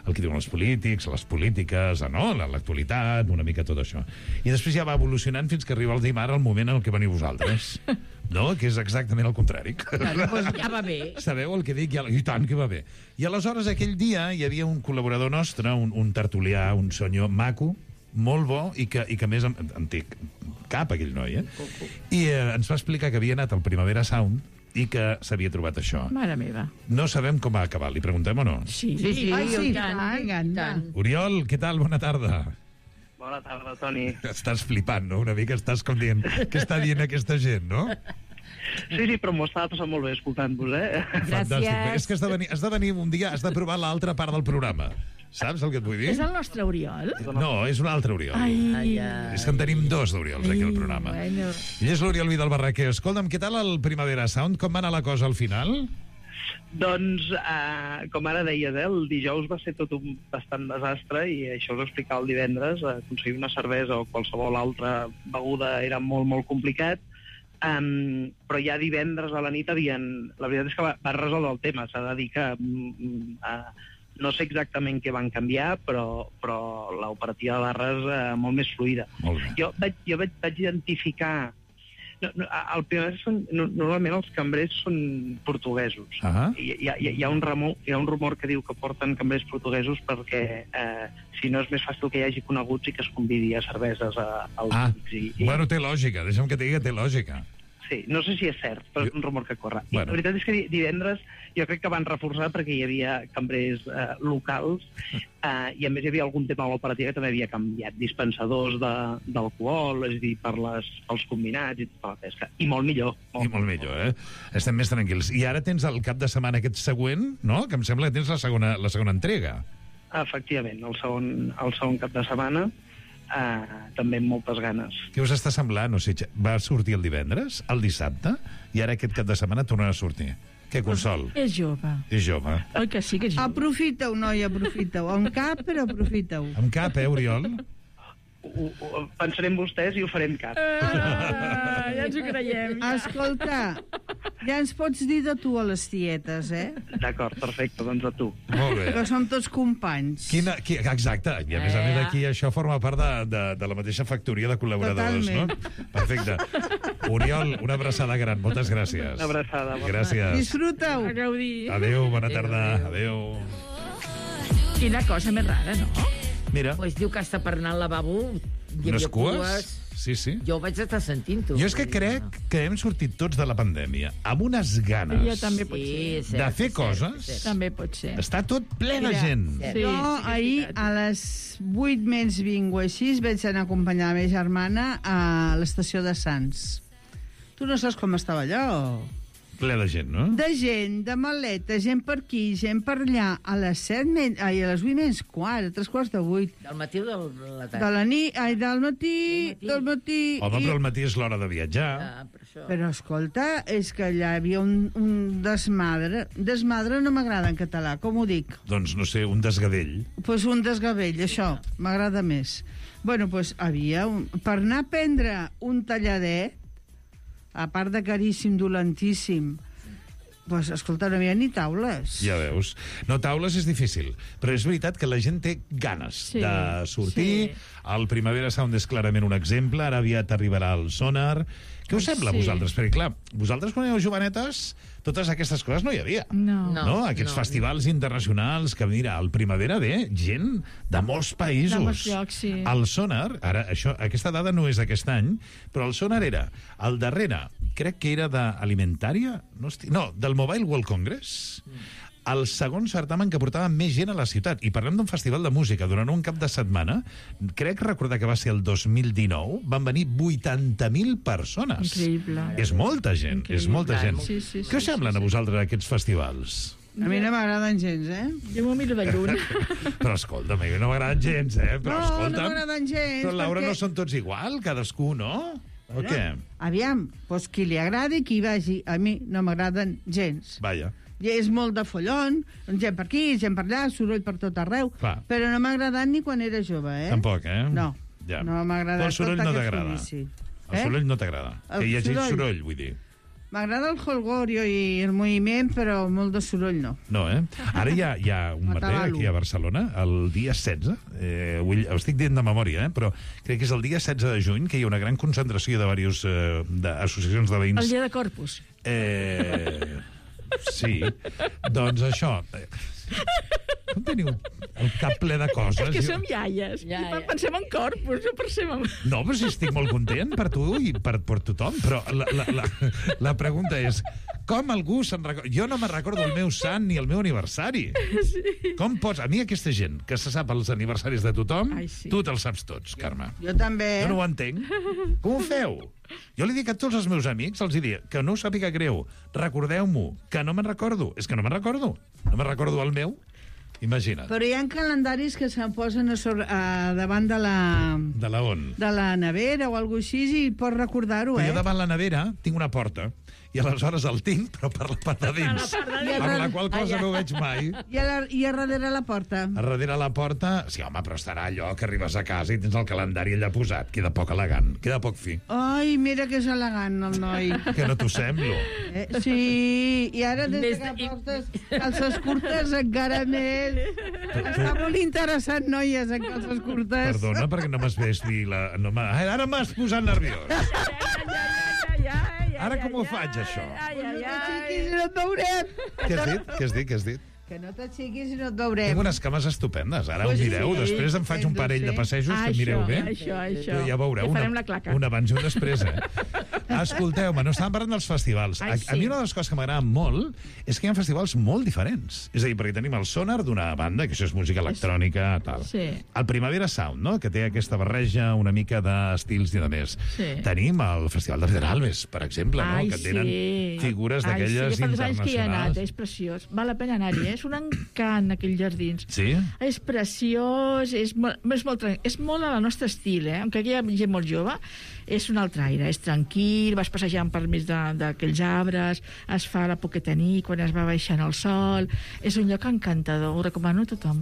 el que diuen els polítics, les polítiques, no? L'actualitat, una mica tot això. I després ja va evolucionant fins que arriba el dimarts, el moment en el que veniu vosaltres. No? Que és exactament el contrari. Doncs ja va bé. Sabeu el que dic? I tant que va bé. I aleshores aquell dia hi havia un col·laborador nostre, un tertulià, un senyor maco, molt bo, i que a més en té cap, aquell noi, I ens va explicar que havia anat al Primavera Sound i que s'havia trobat això. Mare meva. No sabem com va acabar, li preguntem o no? Sí, tant. Oriol, què tal? Bona tarda. Bona tarda, Toni. Estàs flipant, no? Una mica estàs com dient què està dient aquesta gent, no? Sí, però m'ho estava passant molt bé escoltant-vos, Fantàstic. És que has de venir un dia, has de provar l'altra part del programa. Saps el que et vull dir? És el nostre Oriol? No, és un altre Oriol. Ai. És que en tenim 2 d'Oriols aquí al programa. Bueno. Ell és l'Oriol Vidal Barraquer. Escolta'm, què tal el Primavera Sound? Com va anar la cosa al final? Doncs, com ara deies, el dijous va ser tot un bastant desastre i això us explicava el divendres. Aconseguir una cervesa o qualsevol altra beguda era molt, molt complicat. Però ja divendres a la nit la veritat és que va resoldre el tema. S'ha de dir que no sé exactament què van canviar, però l'operativa de barres molt més fluida. Jo vaig identificar... Normalment els cambrers són portuguesos. Hi ha un rumor que diu que porten cambrers portuguesos perquè si no és més fàcil que hi hagi coneguts i que es convidi a cerveses als amics. Bueno, té lògica, deixa'm que et digui que té lògica. Sí, no sé si és cert, però és un rumor que corre. I la veritat és que divendres jo crec que van reforçar perquè hi havia cambrers locals i a més hi havia algun tema a l'operativa que també havia canviat, dispensadors d'alcohol, és a dir, pels combinats i tota la pesca. I molt millor. Molt millor, Estem més tranquils. I ara tens el cap de setmana aquest següent, no? Que em sembla que tens la segona entrega. Efectivament, el segon cap de setmana. També amb moltes ganes. Què us està semblant? O sigui, va sortir el divendres, el dissabte, i ara aquest cap de setmana tornarà a sortir. Què, Consol? És jove. És jove. Oi que sí que és jove? Aprofita-ho, noi, aprofita-ho. Amb cap, però aprofita-ho. Amb cap, Oriol? Pensarem vostès i ho farem cap. Ja ens ho creiem. Escolta, ja ens pots dir de tu a les tietes, D'acord, perfecte, doncs a tu. Molt bé. Que som tots companys. Exacte, i a més aquí això forma part de la mateixa factoria de col·laboradors, no? Perfecte. Oriol, una abraçada gran, moltes gràcies. Una abraçada. Gràcies. Disfruta-ho. A gaudir. Adéu, bona tarda. Adéu. Quina cosa més rara, no? Mira. Pues diu que està per anar al lavabo. Unes cues? Sí. Jo ho vaig estar sentint-ho. Jo és que crec que hem sortit tots de la pandèmia amb unes ganes Jo també pot ser. de fer coses. També pot ser. Està tot ple de gent. Jo ahir a les 8 menys 20 o així vaig anar a acompanyar la meva germana a l'estació de Sants. Tu no saps com estava allò? ple de gent, no? De gent, de maleta, gent per aquí, gent per allà, a les 8 menys quart, a 7:45. Del matí o de la tarda? De la nit, del matí. Home, però al matí és l'hora de viatjar. Però escolta, és que allà hi havia un desmadre. Desmadre no m'agrada en català, com ho dic? Doncs, no sé, un desgavell. Pues un desgavell, això, m'agrada més. Bueno, pues havia per anar a prendre un talladet, a part de caríssim, dolentíssim, pues, escolta, no hi havia ni taules. Ja veus. No, taules és difícil, però és veritat que la gent té ganes de sortir. El Primavera Sound és clarament un exemple, ara aviat arribarà el Sonar. Què us sembla a vosaltres? Perquè, clar, vosaltres quan éreu jovenetes, totes aquestes coses no hi havia. No. Aquests festivals internacionals, que mira, al Primavera ve gent de molts països. De molts llocs, sí. El Sonar, ara, aquesta dada no és d'aquest any, però el Sonar era el darrere, crec que era d'Alimentària, no, del Mobile World Congress, el segon certamen que portava més gent a la ciutat. I parlem d'un festival de música. Durant un cap de setmana, crec recordar que va ser el 2019, van venir 80.000 persones. Increïble. És molta gent, és molta gent. Sí, Què us semblen a vosaltres aquests festivals? A mi no m'agraden gens, Jo m'ho miro de lluny. Però escolta, a mi no m'agraden gens, Però no escolta'm, m'agraden gens. però Laura, perquè... no són tots igual, cadascú, no? O què? Aviam, doncs qui li agradi, qui vagi. A mi no m'agraden gens. Vaja. I és molt de follon, gent per aquí, gent per allà, soroll per tot arreu. Clar. Però no m'ha agradat ni quan era jove, Tampoc, No, ja. no m'ha agradat el soroll tot no aquest t'agrada. judici. El soroll no t'agrada. El Que hi hagi soroll. soroll, vull dir. M'agrada el holgorio i el moviment, però molt de soroll no. No, Ara hi ha un merder aquí a Barcelona, el dia 16, ho estic dient de memòria, però crec que és el dia 16 de juny, que hi ha una gran concentració de diverses associacions de veïns. El dia de Corpus. Sí, doncs això... Com teniu el cap ple de coses? És que som iaies. Pensem en Corpus, no pensem en... No, però si estic molt content per tu i per tothom, però la pregunta és, com algú se'n recorda? Jo no me'n recordo el meu sant ni el meu aniversari. Sí. Com pots? A mi aquesta gent que se sap els aniversaris de tothom, tu te'ls saps tots, Carme. Jo també. Jo no ho entenc. Com ho feu? Jo li dic a tots els meus amics, els dic que no us sàpiga greu, recordeu-m'ho, que no me'n recordo. És que no me'n recordo. No me'n recordo el meu. Imagina't. Però hi ha calendaris que se'n posen davant de la... De la on? De la nevera o alguna cosa així i pots recordar-ho, Jo davant la nevera tinc una porta i aleshores el tinc, però per la part de dins. Amb la qual cosa no ho veig mai. I a darrere la porta? A darrere la porta... Sí, home, però estarà allò que arribes a casa i tens el calendari allà posat. Queda poc elegant, queda poc fi. Ai, mira que és elegant, el noi. Que no t'ho semblo. Sí, i ara des que portes calces curtes encara més. Està molt interessant, noies, en calces curtes. Perdona, perquè no m'has vist dir la... Ara m'has posat nerviós. Ara com ho faig, això? No t'aixequis i no et veurem. Què has dit? Que no t'aixequis i no et veurem. Tinc unes cames estupendes. Ara Pues ho mireu. sí, Després em faig un parell de passejos que mireu bé. Això. Ja veureu. I farem la claca. Un abans i un després, Escolteu-me, no estàvem parlant dels festivals. A mi una de les coses que m'agrada molt és que hi ha festivals molt diferents. És a dir, perquè tenim el Sonar d'una banda, que això és música electrònica, tal. Sí. El Primavera Sound, no?, que té aquesta barreja una mica d'estils i de més. Sí. Tenim el Festival de Pedralbes, per exemple, no?, que tenen figures d'aquelles fa 2 anys que hi ha anat, internacionals. és preciós. Val la pena anar-hi, és un encant, aquells jardins. Sí? És preciós, és molt a la nostra estil, Encara que hi ha gent molt jove, és un altre aire, és tranquil, vas passejant per mig d'aquells arbres, es fa la poqueta nit quan es va baixant el sol, és un lloc encantador, ho recomano a tothom.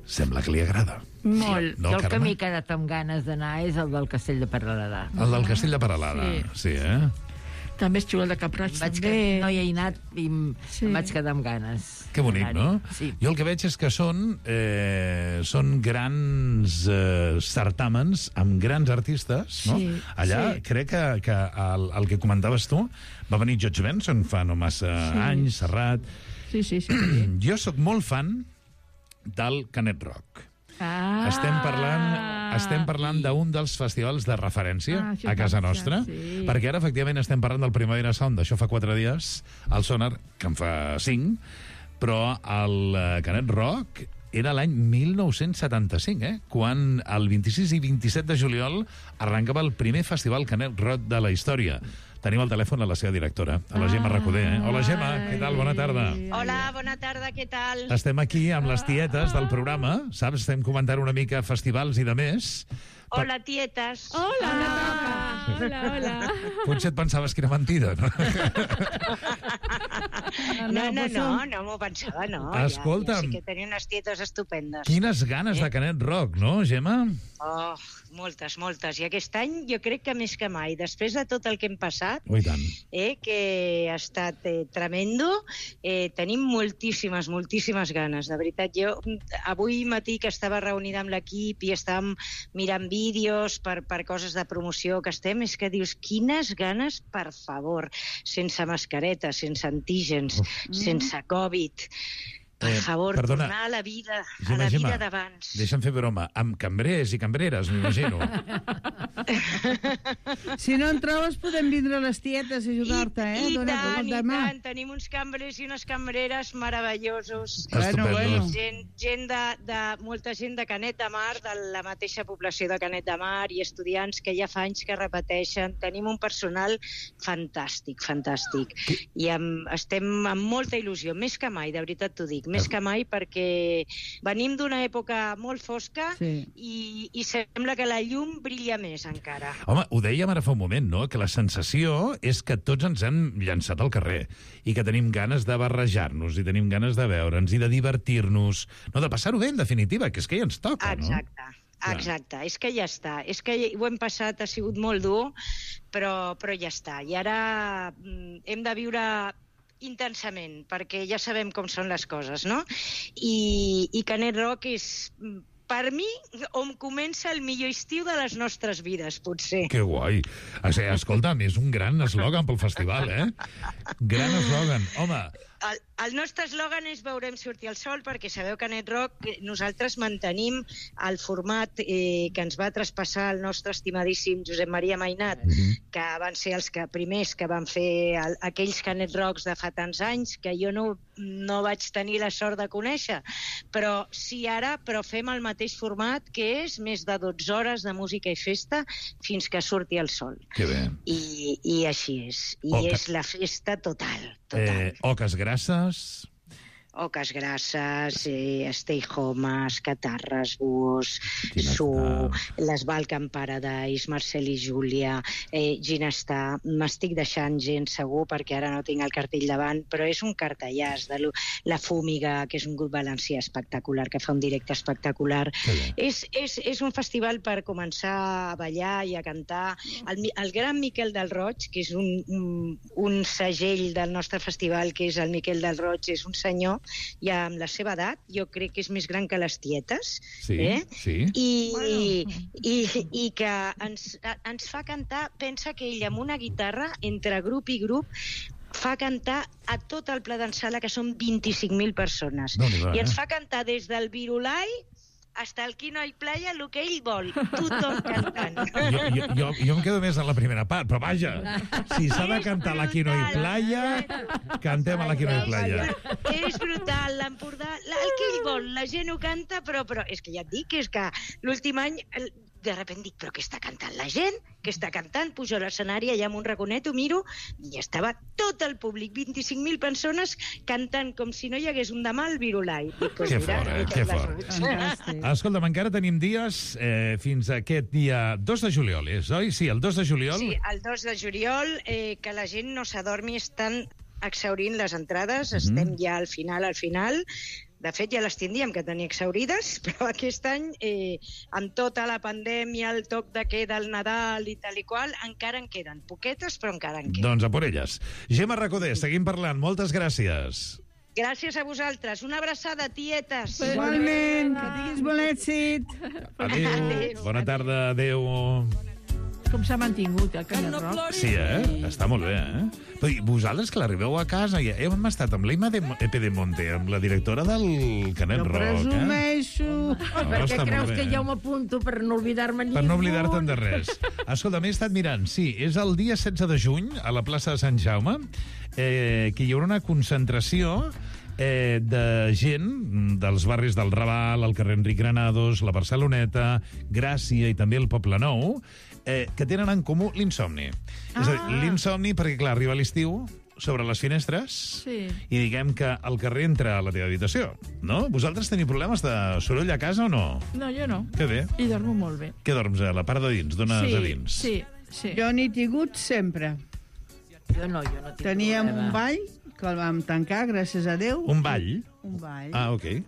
Sembla que li agrada. Molt. No, el que Carme? m'he quedat amb ganes d'anar és el del Castell de Peralada. El del Castell de Peralada, sí, També és xulo el de Cap-roig, també. No hi he anat i em vaig quedar amb ganes. Que bonic, no? Sí. Jo el que veig és que són grans certàmens amb grans artistes, no? Sí, Allà sí. crec que el que comentaves tu va venir George Benson fa no massa anys, Serrat. Sí. Jo sóc molt fan del Canet Rock. Estem parlant d'un dels festivals de referència a casa nostra, perquè ara efectivament estem parlant del Primavera Sound, d'això fa 4 dies, el Sonar, que en fa 5, però el Canet Rock era l'any 1975, quan el 26 i 27 de juliol arrencava el primer festival Canet Rock de la història. Tenim al telèfon a la seva directora, a la Gemma Recoder. Hola, Gemma, què tal? Bona tarda. Hola, bona tarda, què tal? Estem aquí amb les tietes del programa, saps? Estem comentant una mica festivals i de més. Hola, tietes. Hola. Hola. Potser et pensaves que era mentida, no? No m'ho pensava, no. Escolta'm. Ja sí que tenia unes tietes estupendes. Quines ganes de Canet Rock, no, Gemma? Oh, moltes. I aquest any jo crec que més que mai, després de tot el que hem passat, que ha estat tremendo, tenim moltíssimes ganes. De veritat, jo avui matí que estava reunida amb l'equip i estàvem mirant vídeos per coses de promoció que estem, és que dius, quines ganes, per favor, sense mascareta, sense antígens, sense Covid. Per favor, perdona, tornar a la vida Gemma, d'abans. Deixa'm fer broma. Amb cambrers i cambreres, m'imagino. Si no en trobes, podem vindre a les tietes a ajudar-te, I tant. Tenim uns cambrers i unes cambreres meravellosos. Estupendos. Molta gent de Canet de Mar, de la mateixa població de Canet de Mar, i estudiants que ja fa anys que repeteixen. Tenim un personal fantàstic. I estem amb molta il·lusió, més que mai, de veritat t'ho dic. Més que mai, perquè venim d'una època molt fosca i sembla que la llum brilla més encara. Home, ho dèiem ara fa un moment, no?, que la sensació és que tots ens hem llançat al carrer i que tenim ganes de barrejar-nos i tenim ganes de veure'ns i de divertir-nos, no, de passar-ho bé, en definitiva, que és que ja ens toca, no? Exacte, és que ja està. És que ho hem passat, ha sigut molt dur, però ja està. I ara hem de viure intensament, perquè ja sabem com són les coses, no? I Canet Rock és, per mi, on comença el millor estiu de les nostres vides, potser. Que guai. Escolta'm, és un gran eslògan pel festival, Gran eslògan. Home... El nostre eslògan és veurem sortir el sol, perquè sabeu que a Canet Rock nosaltres mantenim el format que ens va traspassar el nostre estimadíssim Josep Maria Mainat, que van ser els primers que van fer aquells Canet Rocks de fa tants anys, que jo no vaig tenir la sort de conèixer. Però sí ara, fem el mateix format, que és més de 12 hores de música i festa fins que surti el sol. Que bé. I així és. I és la festa total. Oques grasses... Oques grasses, stay homes, catarres, búhos, Su, les Balkan Paradise, Marcel i Júlia, Ginestar. M'estic deixant gent, segur, perquè ara no tinc el cartell davant, però és un cartellàs de la Fúmiga, que és un grup valencià espectacular, que fa un directe espectacular. És un festival per començar a ballar i a cantar. El gran Miquel del Roig, que és un segell del nostre festival, que és el Miquel del Roig, és un senyor ja amb la seva edat, jo crec que és més gran que les tietes, i que ens fa cantar, pensa que ell amb una guitarra, entre grup i grup, fa cantar a tot el Pla d'en Sala, que són 25.000 persones. I ens fa cantar des del Virulai hasta el Quino i Playa, el que ell vol, tothom cantant. Jo em quedo més en la primera part, però vaja, si s'ha de cantar la Quino i Playa, cantem a la Quino i Playa. És brutal, l'Empordà, el que ell vol, la gent ho canta, però és que ja et dic, és que l'últim any de repente dic, però què està cantant la gent? Què està cantant? Pujo a l'escenari, allà amb un raconet, ho miro, i estava tot el públic, 25.000 persones, cantant com si no hi hagués un demà al Virulai. Que fort, que fort. Escolta'm, encara tenim dies fins a aquest dia 2 de juliol, oi? Sí, el 2 de juliol. Sí, el 2 de juliol, que la gent no s'adormi, estan exhaurint les entrades, estem ja al final. De fet, ja les tindríem que tenir exhaurides, però aquest any, amb tota la pandèmia, el toc de queda, el Nadal i tal i qual, encara en queden poquetes, però encara en queden. Doncs a por elles. Gemma Recoder, seguim parlant. Moltes gràcies. Gràcies a vosaltres. Una abraçada, tietes. Igualment, que tinguis bon èxit. Adéu. Bona tarda, adéu. Com s'ha mantingut el Canet Rock? Sí, està molt bé, Però vosaltres que l'arribeu a casa, hem estat amb l'Eima Epedemonte, amb la directora del Canet Rock. Presumeixo. Per què creus que jo m'apunto per no oblidar-me ningú? Per no oblidar-te'n de res. Escolta, m'he estat mirant, sí, és el dia 16 de juny, a la plaça de Sant Jaume, que hi haurà una concentració de gent dels barris del Raval, el carrer Enric Granados, la Barceloneta, Gràcia i també el Poble Nou, que tenen en comú l'insomni. És a dir, l'insomni perquè, clar, arriba l'estiu, sobre les finestres, i diguem que el carrer entra a la teva habitació, no? Vosaltres teniu problemes de soroll a casa o no? No, jo no. Que bé. I dormo molt bé. Què dorms, a la part de dins? Dones a dins? Sí. Jo n'he tingut sempre. Jo no tinc Teníem problema. un ball, que el vam tancar, gràcies a Déu. Un ball? Un ball. Ah, ok.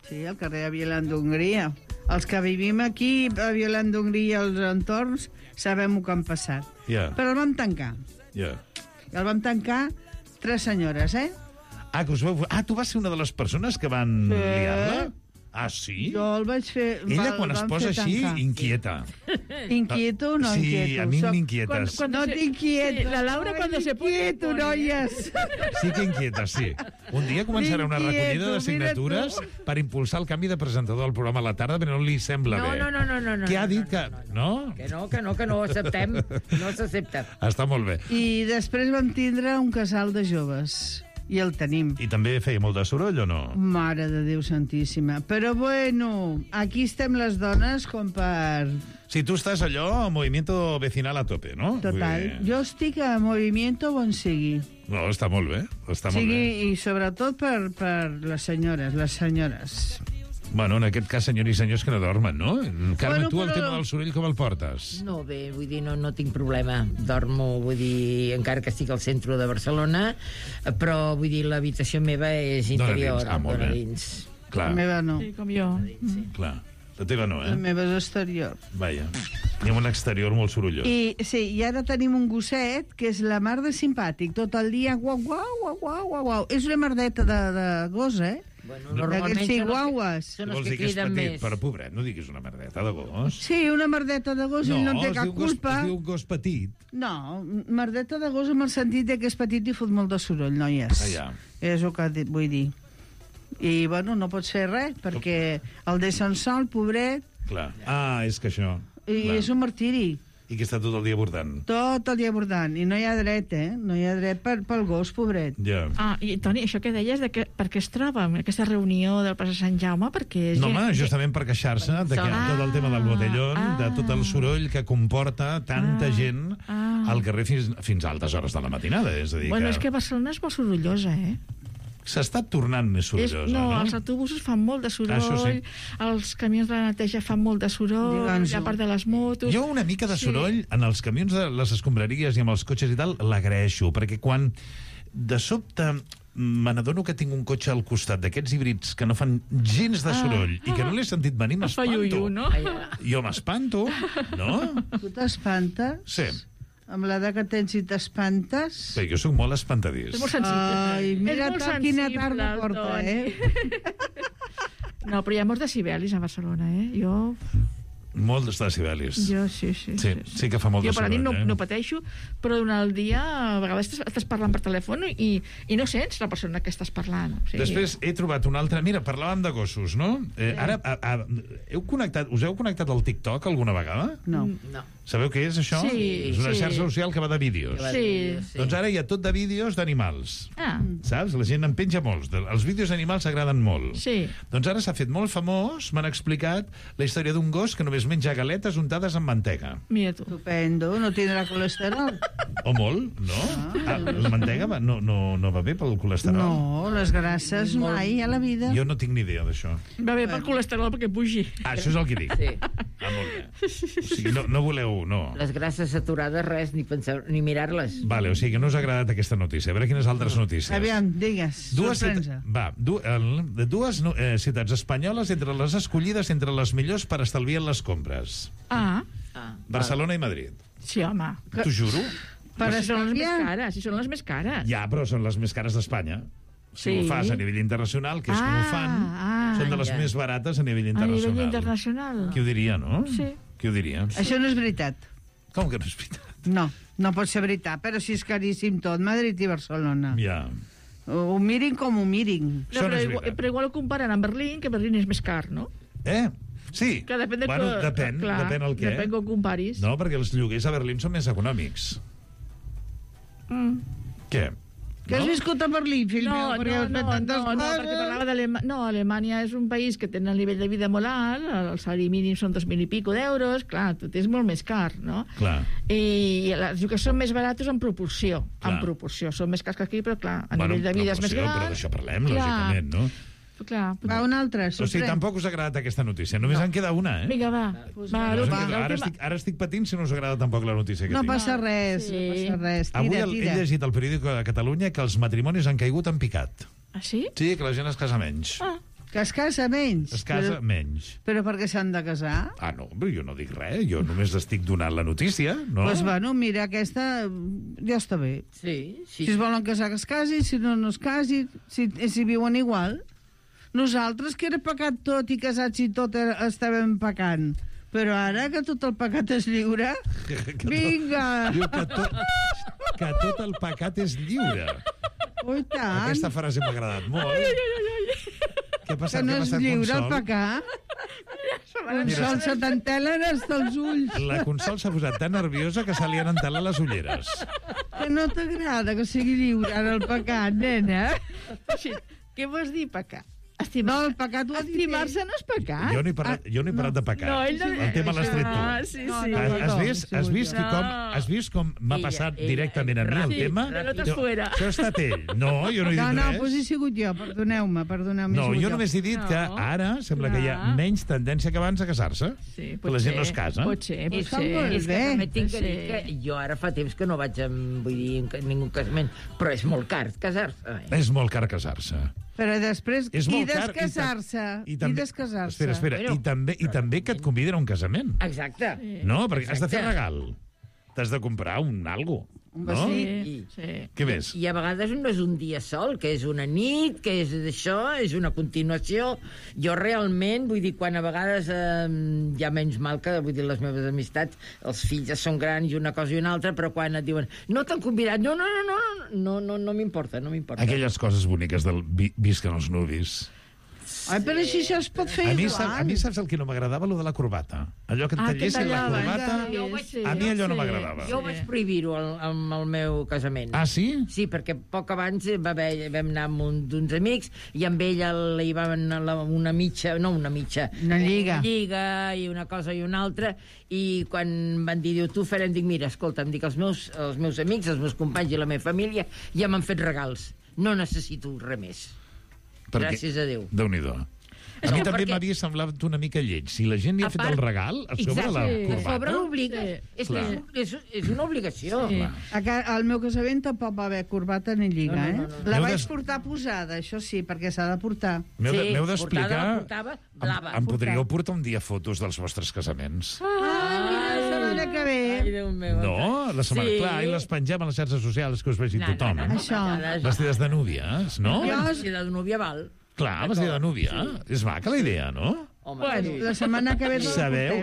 Sí, al carrer de Violant d'Hongria. Els que vivim aquí, a Violant d'Hongria i els entorns, sabem el que han passat. Ja. Però el vam tancar. Ja. El vam tancar 3 senyores, tu vas ser una de les persones que van liar-la? Ah, sí? Jo el vaig fer... Ella, quan es posa així, inquieta. Inquieto o no inquieto? Sí, a mi m'inquietes. No t'inquieto. La Laura cuando se pone... Inquieto, noies. Sí que inquieta, sí. Un dia començarà una recollida de signatures per impulsar el canvi de presentador al programa a la tarda, però no li sembla bé. No. Què ha dit que... No? Que no ho acceptem. No s'accepta. Està molt bé. I després vam tindre un casal de joves. I el tenim. I també feia molt de soroll o no? Mare de Déu santíssima. Però bueno, aquí estem les dones com per... Si tu estàs allò, movimiento vecinal a tope, no? Total. Jo estic a movimiento on sigui. No, està molt bé. Està molt bé. I sobretot per les senyores. Bueno, en aquest cas, senyors i senyors que no dormen, no? Carme, tu el tema del soroll com el portes? No, bé, vull dir, no tinc problema. Dormo, vull dir, encara que estic al centre de Barcelona, però, vull dir, l'habitació meva és interior. Dona dins. Clar. La meva no. Sí, com jo. Clar. La teva no, La meva és exterior. Vaja. Hi ha un exterior molt sorollós. I ara tenim un gosset que és la mar de simpàtic. Tot el dia, guau, guau, guau, guau, guau, guau. És una merdeta de gos, Bueno, normalment són els que criden més. Però, pobret, no diguis una merdeta de gos. Sí, una merdeta de gos, ell no té cap culpa. Es diu gos petit. No, merdeta de gos amb el sentit que és petit i fot molt de soroll, noies. És el que vull dir. I, bueno, no pots fer res, perquè el deixen sol, pobret. Clar. Ah, és que això... I és un martiri. I que està tot el dia bordant. Tot el dia bordant. I no hi ha dret, No hi ha dret pel gos, pobret. Ja. I, Toni, això que deies, per què es troba en aquesta reunió del Plaça Sant Jaume? Perquè No, home, justament per queixar-se de tot el tema del botellón, de tot el soroll que comporta tanta gent al carrer fins a altes hores de la matinada. És a dir, és que Barcelona és molt sorollosa, S'està tornant més sorollosa, no? Els autobusos fan molt de soroll, els camions de la neteja fan molt de soroll, a part de les motos... Jo una mica de soroll en els camions de les escombraries i amb els cotxes i tal l'agraeixo, perquè quan de sobte me n'adono que tinc un cotxe al costat d'aquests híbrids que no fan gens de soroll i que no l'he sentit venir, m'espanto. No? Jo m'espanto, no? Tu t'espantes? Sí. Amb l'edat que tens i t'espantes? Bé, jo sóc molt espantadís. És molt sensible. Ai, mira quina tarda porta, No, però hi ha molts decibelis a Barcelona, Jo... Molts decibelis. Jo, sí que fa molt de soroll. Jo per la nit no pateixo, però durant el dia a vegades estàs parlant per telèfon i no sents la persona que estàs parlant. Després he trobat una altra... Mira, parlàvem de gossos, no? Ara, us heu connectat al TikTok alguna vegada? No. Sabeu què és, això? Sí. És una xarxa social que va de vídeos. Sí. Doncs ara hi ha tot de vídeos d'animals. Saps? La gent en penja molts. Els vídeos d'animals agraden molt. Sí. Doncs ara s'ha fet molt famós, m'han explicat la història d'un gos que només menja galetes untades amb mantega. Mira tu. Estupendo, no tindrà colesterol. O molt, no? La mantega no va bé pel colesterol? No, les grasses mai a la vida. Jo no tinc ni idea d'això. Va bé pel colesterol perquè pugi. Això és el que dic. Sí. Molt bé. O sigui, no voleu... No. Les grasses saturades, res, ni pensar, ni mirar-les. Vale, o sigui que no us ha agradat aquesta notícia. A veure quines altres notícies. Aviam, digues. Dues ciutats espanyoles entre les escollides entre les millors per estalviar les compres. Barcelona i Madrid. Sí, home. T'ho juro. Si són les més cares. Ja, però són les més cares d'Espanya. Si ho fas a nivell internacional, que és com ho fan, són de les més barates a nivell internacional. A nivell internacional. Qui ho diria, no? Sí. Qui ho diria? Això no és veritat. Com que no és veritat? No pot ser veritat, però si és caríssim tot, Madrid i Barcelona. Ja. Ho mirin com ho mirin. Però igual ho comparen amb Berlín, que Berlín és més car, no? Sí. Que depèn depèn el què. Depèn com comparis. No, perquè els lloguers a Berlín són més econòmics. Què? Que has viscut a Berlín, fill meu, perquè has fet tantes coses. perquè parlava d'Alemanya. No, Alemanya és un país que té un nivell de vida molt alt, el salari mínim són 2.000 i pico d'euros, clar, tot és molt més car, no? Clar. I els que són més baratos en proporció. En proporció. Són més cars que aquí, però clar, a nivell de vida és més gran. Però d'això parlem, lògicament, no? Clar. Va, una altra, O sigui, tampoc us ha agradat aquesta notícia. Només en queda una, eh? Vinga, va. Ara estic patint si no us agrada tampoc la notícia que tinc. No passa res, no passa res. Avui he llegit al periòdico de Catalunya que els matrimonis han caigut en picat. Ah, sí? Sí, que la gent es casa menys. Que es casa menys. Es casa menys. Però per què s'han de casar? Ah, no, però jo no dic res, jo només estic donant la notícia, no? Doncs bueno, mira, aquesta ja està bé. Sí. Si es volen casar, que es casin, si no es casin, si viuen igual. Nosaltres, que era pecat tot i casats i tot estàvem pecant. Però ara que tot el pecat és lliure, vinga! Diu que tot el pecat és lliure. Ui, tant. Aquesta frase m'ha agradat molt. Què ha passat? Que no és lliure el pecat? Consol, se t'entelen hasta els ulls. La Consol s'ha posat tan nerviosa que se li han entelat les ulleres. Que no t'agrada que sigui lliure ara el pecat, nena? Què vols dir, pecat? No, el pecat ho ha dit. Estimar-se no és pecat. Jo no he parlat de pecat. El tema l'has tret tu. Sí. Has vist com m'ha passat directament a mi el tema? Això ha estat ell. No, jo no he dit res. No, doncs he sigut jo, perdoneu-me. No, jo només he dit que ara sembla que hi ha menys tendència que abans a casar-se. Que la gent no es casa. Pot ser. És que també tinc que dir que jo ara fa temps que no vaig a ningú casament, però és molt car casar-se. És molt car casar-se. Però després, i descasar-se. Espera, i també que et conviden a un casament. Exacte. No, perquè has de fer regal. T'has de comprar algo. No? Sí. Què més? I a vegades no és un dia sol, que és una nit, que és això, és una continuació. Jo realment, vull dir, quan a vegades hi ha menys mal que, vull dir, les meves amistats, els fills ja són grans i una cosa i una altra, però quan et diuen, no t'han convidat, no m'importa, no m'importa. Aquelles coses boniques del visquen els nuvis. Ai, però així això es pot fer igual. A mi saps el que no m'agradava? Lo de la corbata. Allò que et tallessin la corbata, a mi allò no m'agradava. Jo vaig prohibir-ho amb el meu casament. Ah, sí? Sí, perquè poc abans vam anar amb d'uns amics i amb ella hi va una lliga i una cosa i una altra, i quan van dir, tu farem, dic, mira, escolta, em dic, els meus amics, els meus companys i la meva família ja m'han fet regals. No necessito res més. Gràcies a Déu. Déu-n'hi-do. A mi també m'havia semblat una mica lleig. Si la gent li ha fet el regal, a sobre la corbata... A sobre l'obliga. És una obligació. Al meu casament tampoc va haver corbata ni lliga, eh? La vaig portar posada, això sí, perquè s'ha de portar. M'heu d'explicar... Em podríeu portar un dia fotos dels vostres casaments? Mira, la setmana que ve. Ai, Déu meu. No, la setmana... Clar, i les pengem a les xarxes socials que us vegi tothom. Això. Vestides de núvies, no? Vestida de núvia val. Clar, vestida de núvia. És maca la idea, no? Bueno, la setmana que ve sabeu,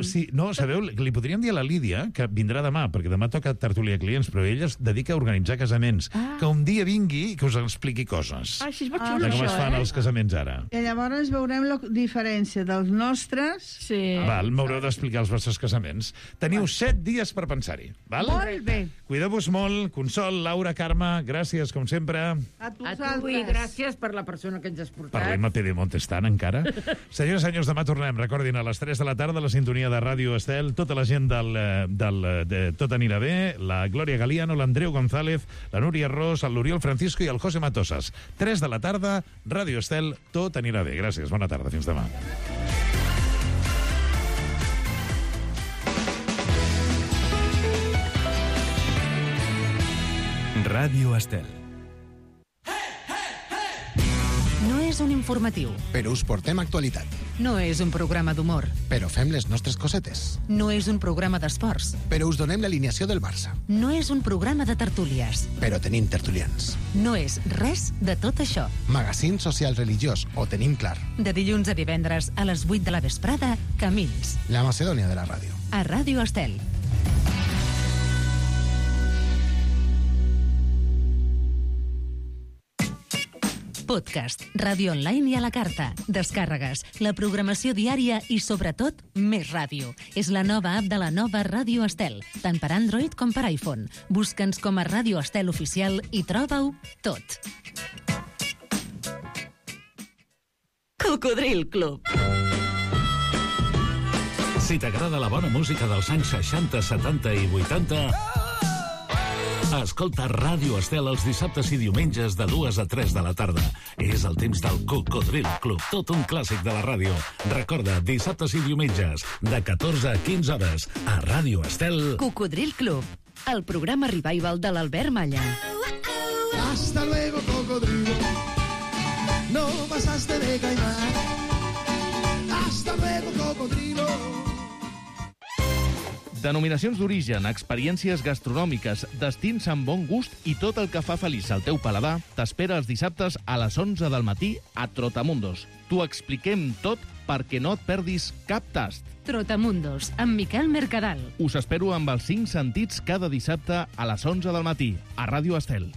li podríem dir a la Lídia que vindrà demà, perquè demà toca tertúlia de clients, però ella es dedica a organitzar casaments, que un dia vingui i que us expliqui coses així és molt xulo, de com es fan els casaments ara. I llavors veurem la diferència dels nostres. M'haureu d'explicar els vostres casaments. Teniu 7 dies per pensar-hi. Molt bé. Cuideu-vos molt. Consol, Laura, Carme, gràcies, com sempre. A tu i gràcies per la persona que ens has portat. Parlem a Pedemonte estant encara. Senyores i senyors, demà tornem, recordin, a les 3 de la tarda, la sintonia de Ràdio Estel, tota la gent de Tot anirà bé, la Glòria Galiano, l'Andreu González, la Núria Ros, l'Oriol Francisco i el José Matosas. 3 de la tarda, Ràdio Estel, Tot anirà bé. Gràcies, bona tarda, fins demà. Ràdio Estel. No és un informatiu. Però us portem actualitat. No és un programa d'humor. Però fem les nostres cosetes. No és un programa d'esports. Però us donem l'alineació del Barça. No és un programa de tertúlies. Però tenim tertulians. No és res de tot això. Magazín social religiós, ho tenim clar. De dilluns a divendres a les 8 de la vesprada, Camins. La Macedònia de la ràdio. A Ràdio Estel. Podcast, ràdio online i a la carta, descàrregues, la programació diària i, sobretot, més ràdio. És la nova app de la nova Ràdio Estel, tant per Android com per iPhone. Busca'ns com a Ràdio Estel Oficial i troba-ho tot. Cocodril Club. Si t'agrada la bona música dels anys 60, 70 i 80, escolta Ràdio Estel els dissabtes i diumenges de 2 a 3 de la tarda. És el temps del Cocodril Club, tot un clàssic de la ràdio. Recorda, dissabtes i diumenges, de 14 a 15 hores, a Ràdio Estel. Cocodril Club, el programa revival de l'Albert Malla. Hasta luego, cocodrilo. No pasaste de caimán. Hasta luego, cocodrilo. Denominacions d'origen, experiències gastronòmiques, destins amb bon gust i tot el que fa feliç el teu paladar t'espera els dissabtes a les 11 del matí a Trotamundos. T'ho expliquem tot perquè no et perdis cap tast. Trotamundos, amb Miquel Mercadal. Us espero amb els 5 sentits cada dissabte a les 11 del matí a Ràdio Estel.